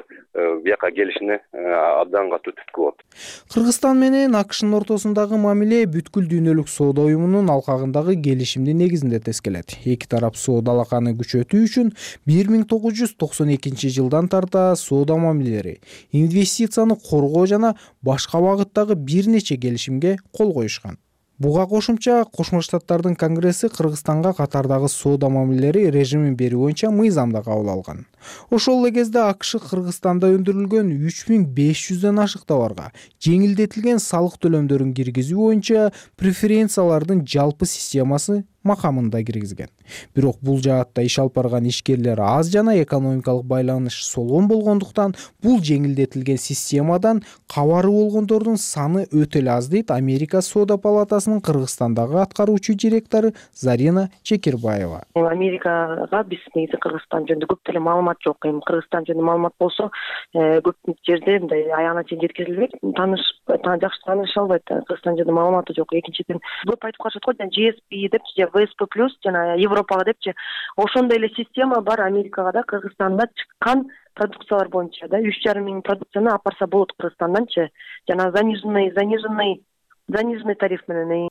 бияка келишине абдан катуу түрткү болот.
Кыргызстан менен АКШнын ортосундагы мамиле бүткүл дүйнөлүк соода уюмунун алкагындагы келишимдин негизинде тескелет. Эки тарап соода алаканы күчөтүү үчүн бир миң тогуз жүз токсон экинчи жылдан тарта соода мамилелери, инвестицияны коргоо жана башка багыттагы бир нече келишимге кол коюшкан. Буга кошумча Кошмо Штаттардын Конгресси Кыргызстанга катардагы соода мамилелери режимин берүү боюнча мыйзам да кабыл алган. Ошол эле кезде АКШ Кыргызстанда өндүрүлгөн үч миң беш жүздөн ашык товарга жеңилдетилген салык төлөмдөрүн киргизүү боюнча преференциялардын жалпы системасы макамында киргизген. Бирок бул жаатта иш алып барган ишкерлер аз жана экономикалык байланыш солгон болгондуктан бул жеңилдетилген системадан кабары болгондордун саны өтө эле аз дейт Америка соода палатасынын Кыргызстандагы аткаруучу директору Зарина Чекирбаева.
Америкага биз негизи Кыргызстан жөнүндө көп деле маалымат жок. Эми Кыргызстан жөнүндө маалымат болсо, көп жерде мындай аягына чейин жеткирилбейт. Таныш, жакшы тааныша албайт. Кыргызстан жөнүндө маалыматы жок. Экинчиден, көп айтып калышат го, G S P деп же ВСП плюс жана Европага депчи ошондой эле система бар Америкага да, Кыргызстанда чыккан продукциялар боюнча да үч жарым миң продукцияны алып барса болот Кыргызстанданчы жана заниженный заниженный заниженный тариф менен.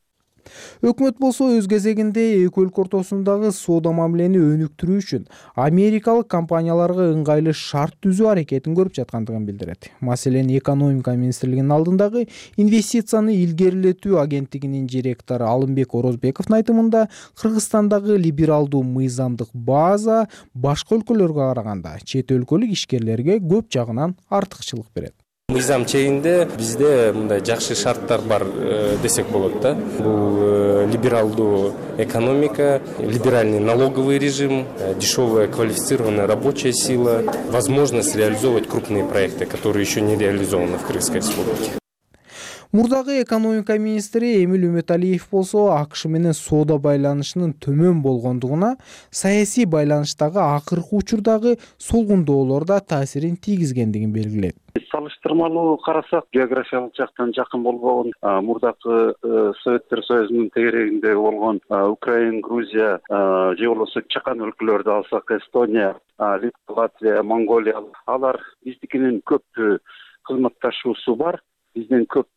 Өкмөт болсо өз кезегинде эки өлкө ортосундагы соода мамилени өнүктүрүү үчүн америкалык компанияларга ыңгайлуу шарт түзүү аракетин көрүп жаткандыгын билдирет. Маселен, экономика министрлигинин алдындагы инвестицияны илгерилетүү агенттигинин директору Алымбек Орозбековдун айтымында, Кыргызстандагы либералдуу мыйзамдык база башка өлкөлөргө караганда чет өлкөлүк ишкерлерге көп жагынан артыкчылык берет.
Мыйзам чегинде бизде мындай жакшы шарттар бар десек болот да. Бул либералдуу экономика, либеральный налоговый режим, дешевая квалифицированная рабочая сила, возможность реализовывать крупные проекты, которые еще не реализованы в Кыргызской республике.
Мурдагы экономика министри Эмиль Үмөталиев болсо АКШ менен соода байланышынын төмөн болгондугуна, саясий байланыштагы акыркы учурдагы солгундоолор да таасирин тийгизгендигин белгилейт.
Салыштырмалуу карасак, географиялык жактан жакын болбогон мурдакы Советтер Союзунун тегерегинде болгон Украина, Грузия же болбосо чакан өлкөлөрдү алсак, Эстония, Литва, Латвия, Монголия, алар биздикинин көп кызматташуусу бар. Бизден көп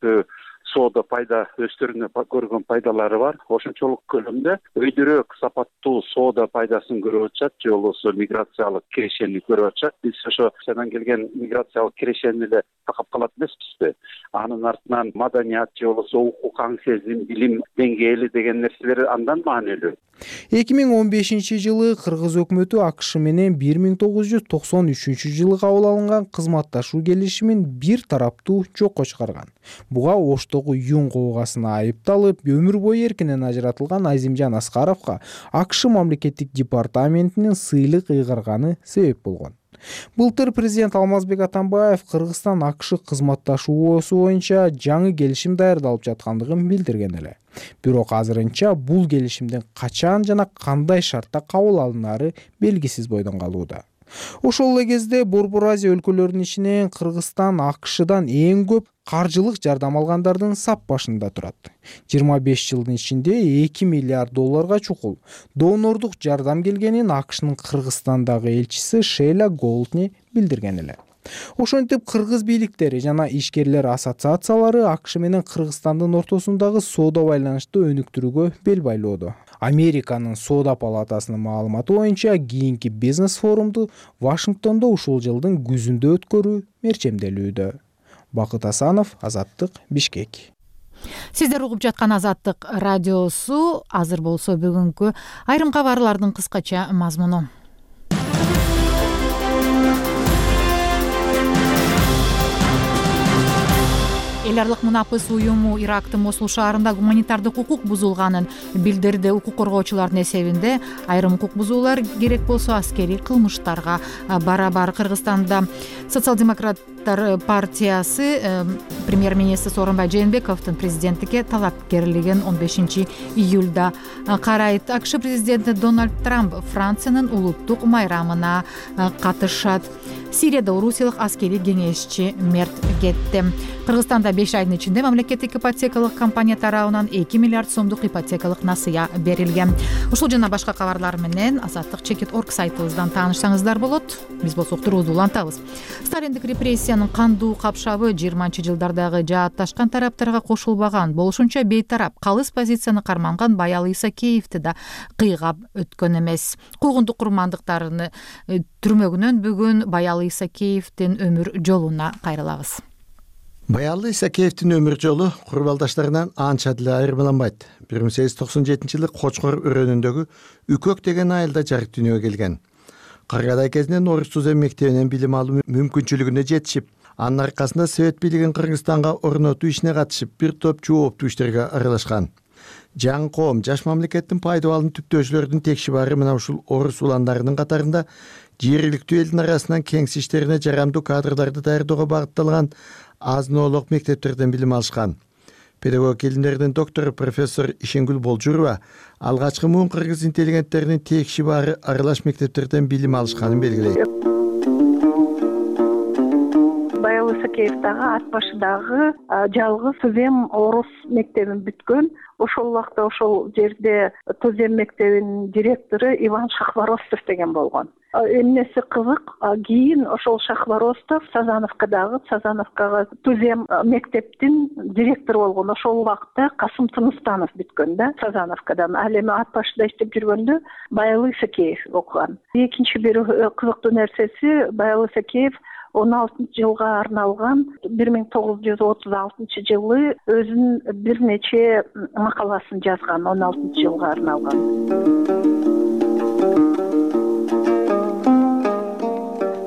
соода пайда өздөрүнө көргөн пайдалары бар. Ошончолук көлөмдө өйдөрөөк сапаттуу соода пайдасын көрүп атышат, же болбосо миграциялык кирешени көрүп атышат. Биз ошо сенен келген миграциялык кирешени эле такап калат эмеспизби? Анын артынан маданият же болбосо укук сезим, билим деңгээли деген нерселер андан маанилүү.
эки миң он бешинчи жылы Кыргыз өкмөтү АКШ менен бир миң тогуз жүз токсон үчүнчү жылы кабыл алынган кызматташуу келишимин бир тараптуу жокко чыгарган. Буга Оштогу юн коогасына айыпталып, өмүр бою эркинен ажыратылган Азимжан Аскаровго АКШ мамлекеттик департаментинин сыйлык ыйгарганы себеп болгон. Былтыр президент Алмазбек Атамбаев Кыргызстан АКШ кызматташуусу боюнча жаңы келишим даярдалып жаткандыгын билдирген эле. Бирок азырынча бул келишимдин качан жана кандай шартта кабыл алынары белгисиз бойдон калууда. Ошол эле кезде Борбор Азия өлкөлөрүнүн ичинен Кыргызстан АКШдан эң көп каржылык жардам алгандардын сап башында турат. жыйырма беш жылдын ичинде эки миллиард долларга чукул донорлук жардам келгенин АКШнын Кыргызстандагы элчиси Шейла Голдни билдирген эле. Ошентип кыргыз бийликтери жана ишкерлер ассоциациялары АКШ менен Кыргызстандын ортосундагы соода байланышты өнүктүрүүгө бел байлоодо. Американын соода палатасынын маалыматы боюнча кийинки бизнес форумду Вашингтондо ушул жылдын күзүндө өткөрүү мерчемделүүдө. Бакыт Асанов, Азаттык, Бишкек.
Сиздер угуп жаткан Азаттык радиосу. Азыр болсо бүгүнкү айрым кабарлардын кыскача мазмуну. Эл аралык мунапыс уюму Ирактын Мосул шаарында гуманитардык укук бузулганын билдирди. Укук коргоочулардын эсебинде айрым укук бузуулар керек болсо аскерий кылмыштарга барабар. Кыргызстанда социал-демократтар партиясы премьер-министр Сооронбай Жээнбековдун президенттикке талапкерлигин он бешинчи июлда карайт. АКШ президенти Дональд Трамп Франциянын улуттук майрамына катышат. Сирияда орусиялык аскерий кеңешчи мерт кетти. Кыргызстанда беш айдын ичинде мамлекеттик ипотекалык компания тарабынан эки миллиард сомдук ипотекалык насыя берилген. Ушул жана башка кабарлар менен азаттык чекит точка орг сайтыбыздан таанышсаңыздар болот. Биз болсо уктуруубузду улантабыз. Сталиндик репрессиянын кандуу капшабы жыйырманчы жылдардагы жаатташкан тараптарга кошулбаган, болушунча бейтарап калыс позицияны карманган Баял Исакеевди да кыйгап өткөн эмес. Куугундук курмандыктарыны түрмөгүнөн бүгүн Баял Исакеевдин өмүр жолуна кайрылабыз.
Баял Исакеевдин өмүр жолу курбалдаштарынан анча деле айырмаланбайт. бир миң сегиз жүз токсон жетинчи жылы Кочкор өрөөнүндөгү Үкөк деген айылда жарык дүйнөгө келген. Каргадай кезинен Орус Тузем мектебинен билим алуу мүмкүнчүлүгүнө жетишип, анын аркасында Совет бийлигин Кыргызстанга орнотуу ишине катышып, бир топ жооптуу иштерге аралашкан. Жаңы коом, жаш мамлекеттин пайдабалын түптөөчүлөрдүн текшибары мына ушул орус уландарынын катарында жергиликтүү элдин арасынан кеңси иштерине жарамдуу кадрларды даярдоого багытталган азын-оолок мектептерден билим алышкан. Педагог илимдердин доктору профессор Ишенгүл Болжурова алгачкы муун кыргыз интеллигенттеринин текшибары аралаш мектептерден билим алышканын белгилейт.
Баял
Исакеевдагы ат башыдагы жалгыз Тузем орус мектебин бүткөн. Ошол убакта ошол жерде Тузем мектебинин директору Иван Шахворостов деген болгон. Эмнеси кызык, кийин ошол Шахворостов Сазановкадагы Сазановкага Тузем мектептин директору болгон. Ошол убакта Касым Тыныстанов бүткөн да Сазановкадан. Ал эми ат башыда иштеп жүргөндө Баялы Исакеев окуган. Экинчи бир кызыктуу нерсеси, Баялы Исакеев он алтынчы жылга арналган бир миң тогуз жүз отуз алтынчы жылы өзүнүн бир нече макаласын жазган, он алтынчы жылга арналган.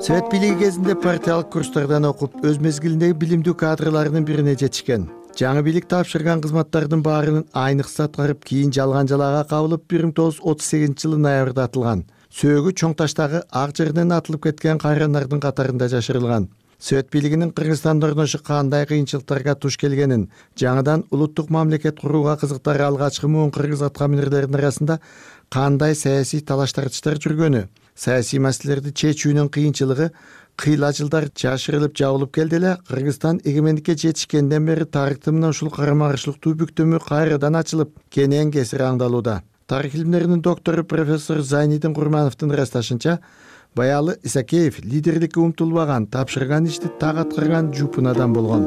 Совет бийлиги кезинде партиялык курстардан окуп, өз мезгилиндеги билимдүү кадрларынын бирине жетишкен. Жаңы бийлик тапшырган кызматтардын баарынын айныкса аткарып, кийин жалган жалаага кабылып, бир миң тогуз жүз отуз сегизинчи жылы ноябрда атылган. Сөөгү Чоң Таштагы ак жерден атылып кеткен кайрандардын катарында жашырылган. Совет бийлигинин Кыргызстанда орношу кандай кыйынчылыктарга туш келгенин, жаңыдан улуттук мамлекет курууга кызыктары алгачкы муун кыргыз аткаминерлеринин арасында кандай саясий талаш-тартыштар жүргөнү, саясий маселелерди чечүүнүн кыйынчылыгы кыйла жылдар жашырылып жабылып келди эле Кыргызстан эгемендикке жетишкенден бери тарыхтын ушул карама-каршылыктуу бүктөмү кайрадан ачылып, кенен кесири аңдалууда. Тарих илимдеринин доктору профессор Зайнидин Курмановдун ырасташынча, Баялы Исакеев лидерликке умтулбаган, тапшырган ишти так аткарган жупун адам болгон.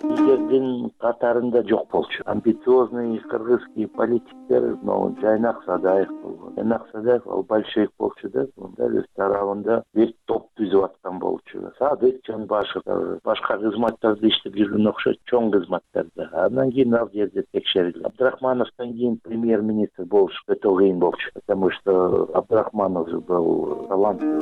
Лидердин катарында жок болчу. Амбициозный кыргызский политиктер, но Жайнак Садаев болгон. Жайнак Садаев ал большевик болчу да, мында өз тарабында бир топ түзүп аткан болчу. Садык Жанбашев башка кызматтарда иштеп жүргөн окшойт, чоң кызматтарда. Андан кийин ал жерде текшерилди. Абдрахмановдон кийин премьер-министр болуш өтө кыйын болчу, потому что Абдрахманов был таланттуу.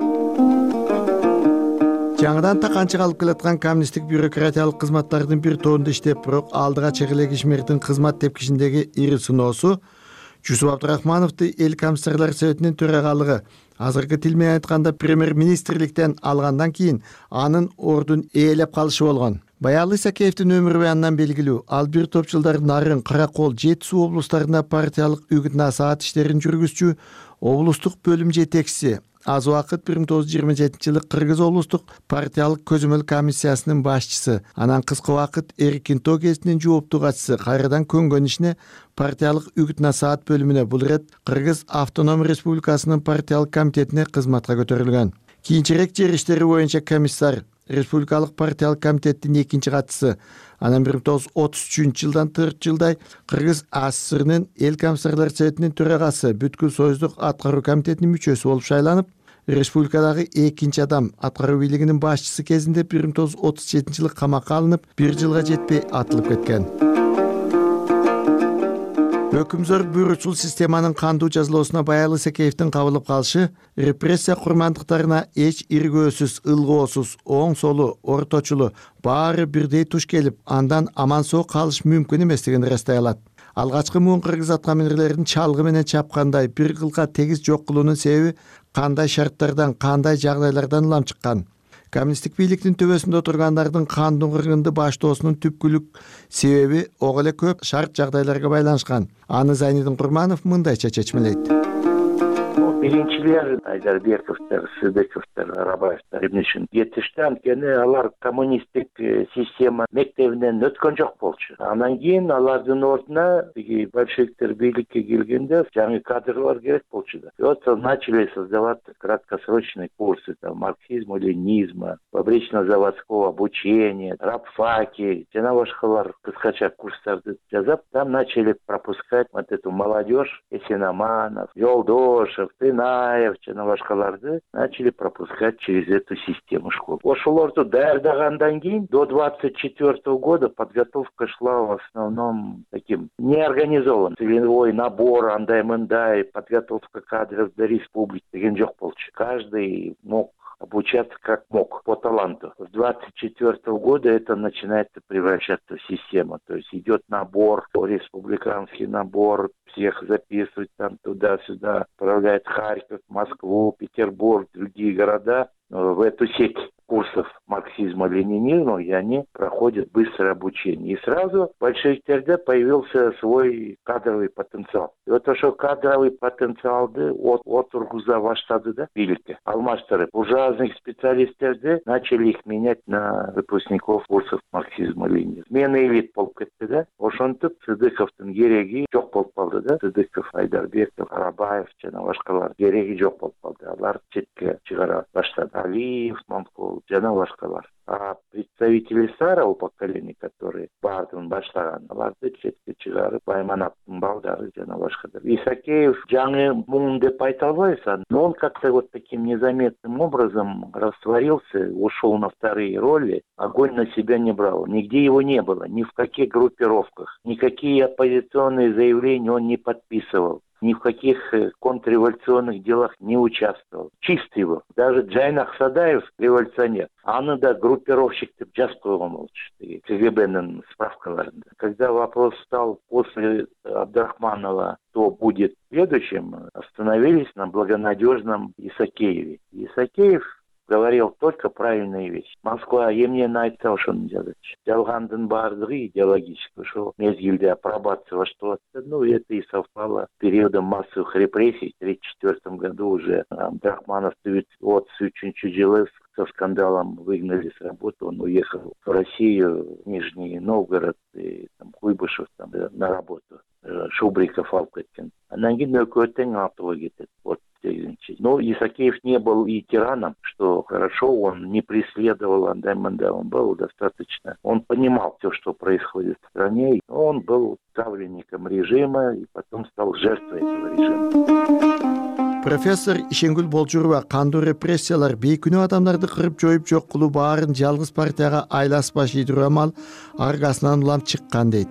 Жаңыдан таканчы калып келаткан коммунисттик бюрократиялык кызматтардын бир тобунда иштеп, бирок алдыга чегелек ишмердин кызмат тепкичиндеги ири сыноосу Жусуп Абдрахмановду эл комиссарлар советинин төрагалыгы, азыркы тил менен айтканда премьер-министрликтен алгандан кийин анын ордун ээлеп калышы болгон. Баялы Исакеевдин өмүрү аяндан белгилүү. Ал бир топ жылдар Нарын, Каракол, Жети Суу облустарында партиялык үгүт-насаат иштерин жүргүзчү, облустук бөлүм жетекчиси. Аз убакыт бир миң тогуз жүз жыйырма жетинчи жылы Кыргыз облустук партиялык көзөмөл комиссиясынын башчысы, анан кыска убакыт Эркинто гезитинин жооптуу катчысы, кайрадан көнгөн ишине партиялык үгүт-насаат бөлүмүнө, бул ирет Кыргыз Автоном Республикасынын партиялык комитетине кызматка көтөрүлгөн. Кийинчерээк жер иштери боюнча комиссар, Республикалык партиялык комитеттин экинчи катчысы, анан бир миң тогуз жүз отуз үчүнчү жылдан төрт жылдай Кыргыз АССРнын эл комиссарлар советинин төрагасы, бүткүл союздук аткаруу комитетинин мүчөсү болуп шайланып, республикадагы экинчи адам аткаруу бийлигинин башчысы кезинде бир миң тогуз жүз отуз жетинчи жылы камакка алынып, бир жылга жетпей атылып кеткен. Өкүмзөр буйручул системанын кандуу жазалоосуна Баялы Исакеевдин кабылып калышы репрессия курмандыктарына эч иргөөсүз, ылгоосуз, оң солу, орточулу баары бирдей туш келип, андан аман-соо калыш мүмкүн эместигин ырастай алат. Алгачкы муун кыргыз аткаминерлерин чалгы менен чапкандай бир кылга тегиз жок кылуунун себеби кандай шарттардан, кандай жагдайлардан улам чыккан? Коммунисттик бийликтин төбөсүндө отургандардын кандуу кыргынды баштоосунун түпкүлүк себеби ого эле көп шарт жагдайларга байланышкан. Аны Зайнидин Курманов мындайча чечмелейт.
Биринчилер Айдарбековдор, Сыдыковдор, Арабаевдор эмнешин кетишти, анткени алар коммунисттик система мектебинен өткөн жок болчу. Андан кийин алардын ордуна большевиктер бийликке келгенде жаңы кадрлар керек болчу да. Вот начали создавать краткосрочные курсы там марксизма, ленизма, фабрично-заводского обучения, рабфаки, жана башкалар кыскача курстарды жазап, там начали пропускать вот эту молодежь, Есенаманов, Жолдошев, Тынаев, жана башкаларды начали пропускать через эту систему школ. Ошолорду даярдагандан кийин до двадцать четвёртого года подготовка шла в основном таким неорганизованным. Целевой набор, андай-мындай, подготовка кадров для республики деген жок болчу. Каждый мог обучаться как мог, по таланту. С двадцать четвёртого года это начинает превращаться в систему. То есть идет набор, республиканский набор, всех записывают там туда-сюда, отправляют Харьков, Москву, Петербург, другие города в эту сеть курсов марксизма. марксизма-ленинизма, и они проходят быстрое обучение. И сразу в большевиктерде появился свой кадровый потенциал. И вот ошо кадровый потенциалды от отургуза баштады да бийликке алмаштырып, буржуазных специалисттерди начали их менять на выпускников курсов марксизма-ленинизма. Смена элит болуп кетти да. Ошентип Сыдыковдун кереги жок болуп калды да. Сыдыков, Айдарбеков, Карабаев жана башкалар кереги жок болуп калды. Алар четке чыгара баштады. Алиев, Мамкул жана башкалар. А представители старого поколения, которые бардын баштаган, аларды четке чыгарып, Баймановдун балдары жана башкалар. Исакеев жаңы муң деп айта албайсың, но он как-то вот таким незаметным образом растворился, ушел на вторые роли, огонь на себя не брал. Нигде его не было, ни в каких группировках, никакие оппозиционные заявления он не подписывал. Ни в каких контрреволюционных делах не участвовал. Чистый был. Даже Джайнах Садаев революционер. Аны да группировщик деп жазып койгон болчу КГБнын справкаларында. Когда вопрос стал после Абдрахманова, кто будет следующим, остановились на благонадежном Исакееве. Исакеев говорил только правильные вещи. Москва эмне айтса ошону жазачы. Жалгандын баардыгы идеологический. Ошол мезгилде апробация башталып атты. Ну, это и совпало с периодом массовых репрессий. В тридцать четвёртом году уже Абдрахманов отуз үчүнчү жылы со скандалом выгнали с работы. Он уехал в Россию, в Нижний Новгород и там, Куйбышев там, на работу. Шубриков алып кеткен. Анан кийин өкмөттүн артыга кетет. Вот. Но Исакеев не был и тираном, что хорошо, он не преследовал андайманда, он был достаточно, он понимал все, что происходит в стране, он был ставленником режима и потом стал жертвой этого режима.
Профессор Ишенгүл Болжурова кандуу репрессиялар бейкүнөө адамдарды кырып жоюп жок кылуу баарын жалгыз партияга айласпаш идирамал аргасынан улам чыккан дейт.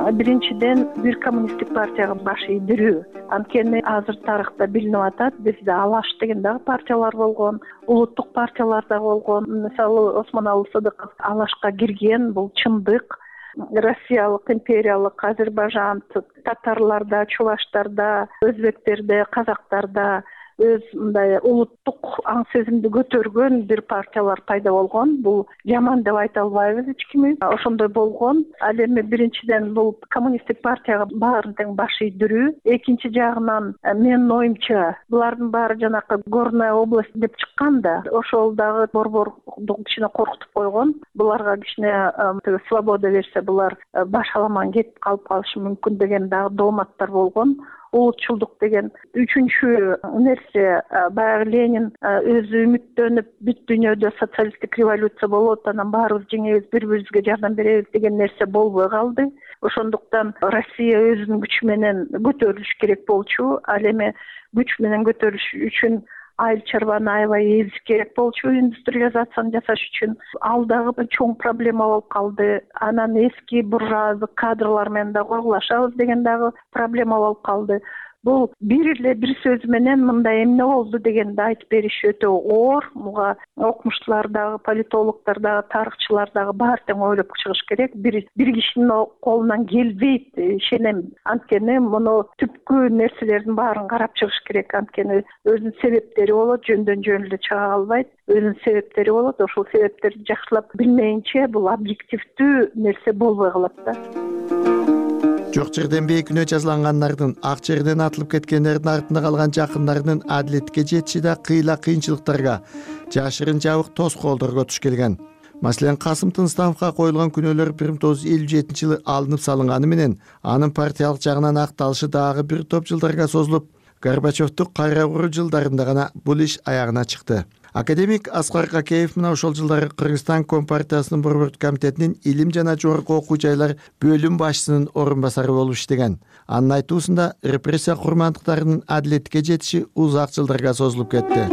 Биринчиден бир коммунисттик партияга баш ийдирүү. Анткени азыр тарыхта билинип атат, бизде Алаш деген дагы партиялар болгон, улуттук партиялар да болгон. Мисалы Осмоналы Сыдыков Алашка кирген, бул чындык. Россиялык, империялык, Азербайжан, татарларда, чуваштарда, өзбектерде, казактарда өз мындай улуттук аң сезимди көтөргөн бир партиялар пайда болгон. Бул жаман деп айта албайбыз эч кими. Ошондой болгон. Ал эми биринчиден бул коммунисттик партияга баарын тең баш ийдирүү. Экинчи жагынан менин оюмча булардын баары жанакы Горная область деп чыккан да. Ошол дагы борборду кичине коркутуп койгон. Буларга кичине свобода берсе булар баш аламан кетип калып калышы мүмкүн деген дагы дооматтар болгон. Улутчулдук деген үчүнчү нерсе, баягы Ленин өзү үмүттөнүп бүт дүйнөдө социалисттик революция болот, анан баарыбыз жеңебиз, бири-бирибизге жардам беребиз деген нерсе болбой калды. Ошондуктан Россия өзүнүн күчү менен көтөрүлүш керек болчу. Ал эми күч менен көтөрүлүш үчүн айыл чарбаны аябай эзиш керек болчу, индустриализацияны жасаш үчүн. Ал дагы чоң проблема болуп калды. Анан эски буржуаздык кадрлар менен да корлашабыз деген дагы проблема болуп калды. Бул бир эле бир сөз менен мындай эмне болду дегенди айтып бериш өтө оор. Буга окумуштуулар дагы, политологдор дагы, тарыхчылар дагы баары тең ойлоп чыгыш керек. Бир бир кишинин колунан келбейт, ишенем. Анткени муну түпкү нерселердин баарын карап чыгыш керек. Анткени өзүнүн себептери болот, жөндөн жөн эле чыга албайт. Өзүнүн себептери болот. Ошол себептерди жакшылап билмейинче бул объективдүү нерсе болбой калат да.
Жок жерден бейкүнөө жазалангандардын, ак жерден атылып кеткендердин артында калган жакындарынын адилетке жетиши да кыйла кыйынчылыктарга, жашырын жабык тоскоолдорго туш келген. Маселен, Касым Тыныстановго коюлган күнөөлөр бир миң тогуз жүз элүү жетинчи жылы алынып салынганы менен, анын партиялык жагынан акталышы дагы бир топ жылдарга созулуп, Горбачевдун кайра куруу жылдарында гана бул иш аягына чыкты. Академик Аскар Какеев мына ошол жылдары Кыргызстан Компартиясынын борбордук комитетинин илим жана жогорку окуу жайлар бөлүм башчысынын орун басары болуп иштеген. Анын айтуусунда репрессия курмандыктарынын адилетке жетиши узак жылдарга созулуп кетти.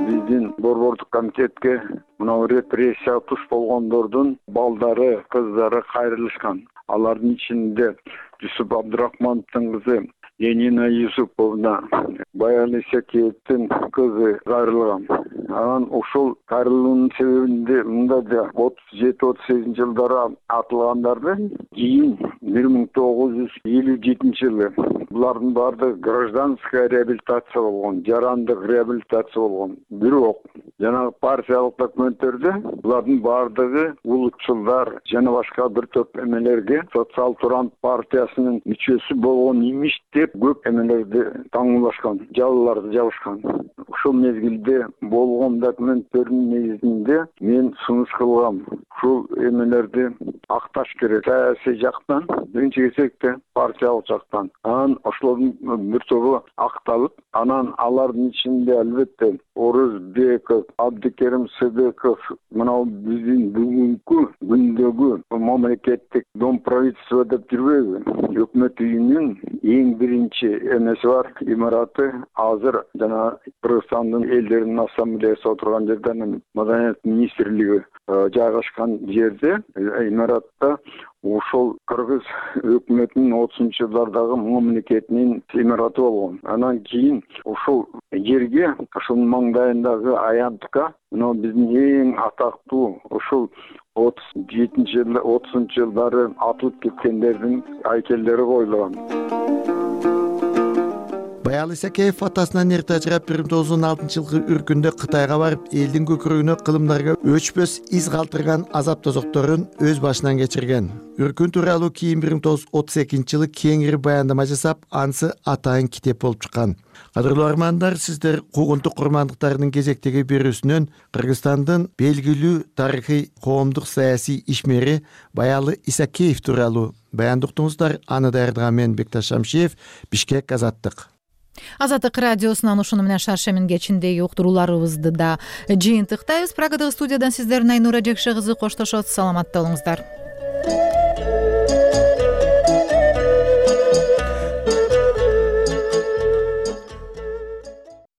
Биздин борбордук комитетке мына репрессия туш болгондордун балдары, кыздары кайрылышкан. Алардын ичинде Жусуп Абдрахмановдун кызы Енина Юсуповна, Баян Исакеевдин кызы кайрылган. Анан ошол кайрылуунун себебинде мында да отуз жети отуз сегизинчи жылдары атылгандарды кийин бир миң тогуз жүз элүү жетинчи жылы булардын баардыгы гражданская реабилитация болгон, жарандык реабилитация болгон. Бирок жанагы партиялык документтерде булардын баардыгы улутчулдар жана башка бир топ эмелерге социал турант партиясынын мүчөсү болгон имиш деп көп эмелерди таңуулашкан, жалаларды жабышкан. Ушул мезгилде болгон документтердин негизинде мен сунуш кылгам. Ушул эмелерди акташ керек. Саясий жактан, биринчи кезекте партиялык жактан. Анан ошолордун бир тобу акталып, анан алардын ичинде албетте Орузбеков, Абдикерим Сыдыков, мына биздин бүгүнкү күндөгү мамлекеттик дом правительства деп жүрбөйбү? Өкмөт үйүнүн эң биринчи эмеси бар, имараты азыр жана Кыргызстандын элдеринин ассамблеясы отурган жерде, анан Маданият министрлиги жайгашкан жерде, имаратта ошол кыргыз өкмөтүнүн отузунчу жылдардагы мамлекетинин имараты болгон. Анан кийин ошол жерге, ошонун маңдайындагы аянтка мына биздин эң атактуу ошол отуз жетинчи жыл, отузунчу жылдары атылып кеткендердин айкелдери коюлган.
Баял Исакеев атасынан эрте ажырап бир миң тогуз жүз он алтынчы жылкы үркүндө Кытайга барып, элдин көкүрөгүнө кылымдарга өчпөс из калтырган азап тозокторун өз башынан кечирген. Үркүн тууралуу кийин бир миң тогуз жүз отуз экинчи жылы кеңири баяндама жасап, анысы атайын китеп болуп чыккан. Кадырлуу армандар, сиздер Куугунтук курмандыктарынын кезектеги берүүсүнөн Кыргызстандын белгилүү тарыхый коомдук саясий ишмери Баял Исакеев тууралуу баяндоо уктуңуздар. Аны даярдаган мен Бекташ Шамшиев, Бишкек, Азаттык.
Азаттык радиосунан ушуну менен шаршемин кечиндеги уктурууларыбызды да жыйынтыктайбыз. Прагадагы студиядан сиздердин Айнура Жекше кызы коштошот. Саламатта болуңуздар.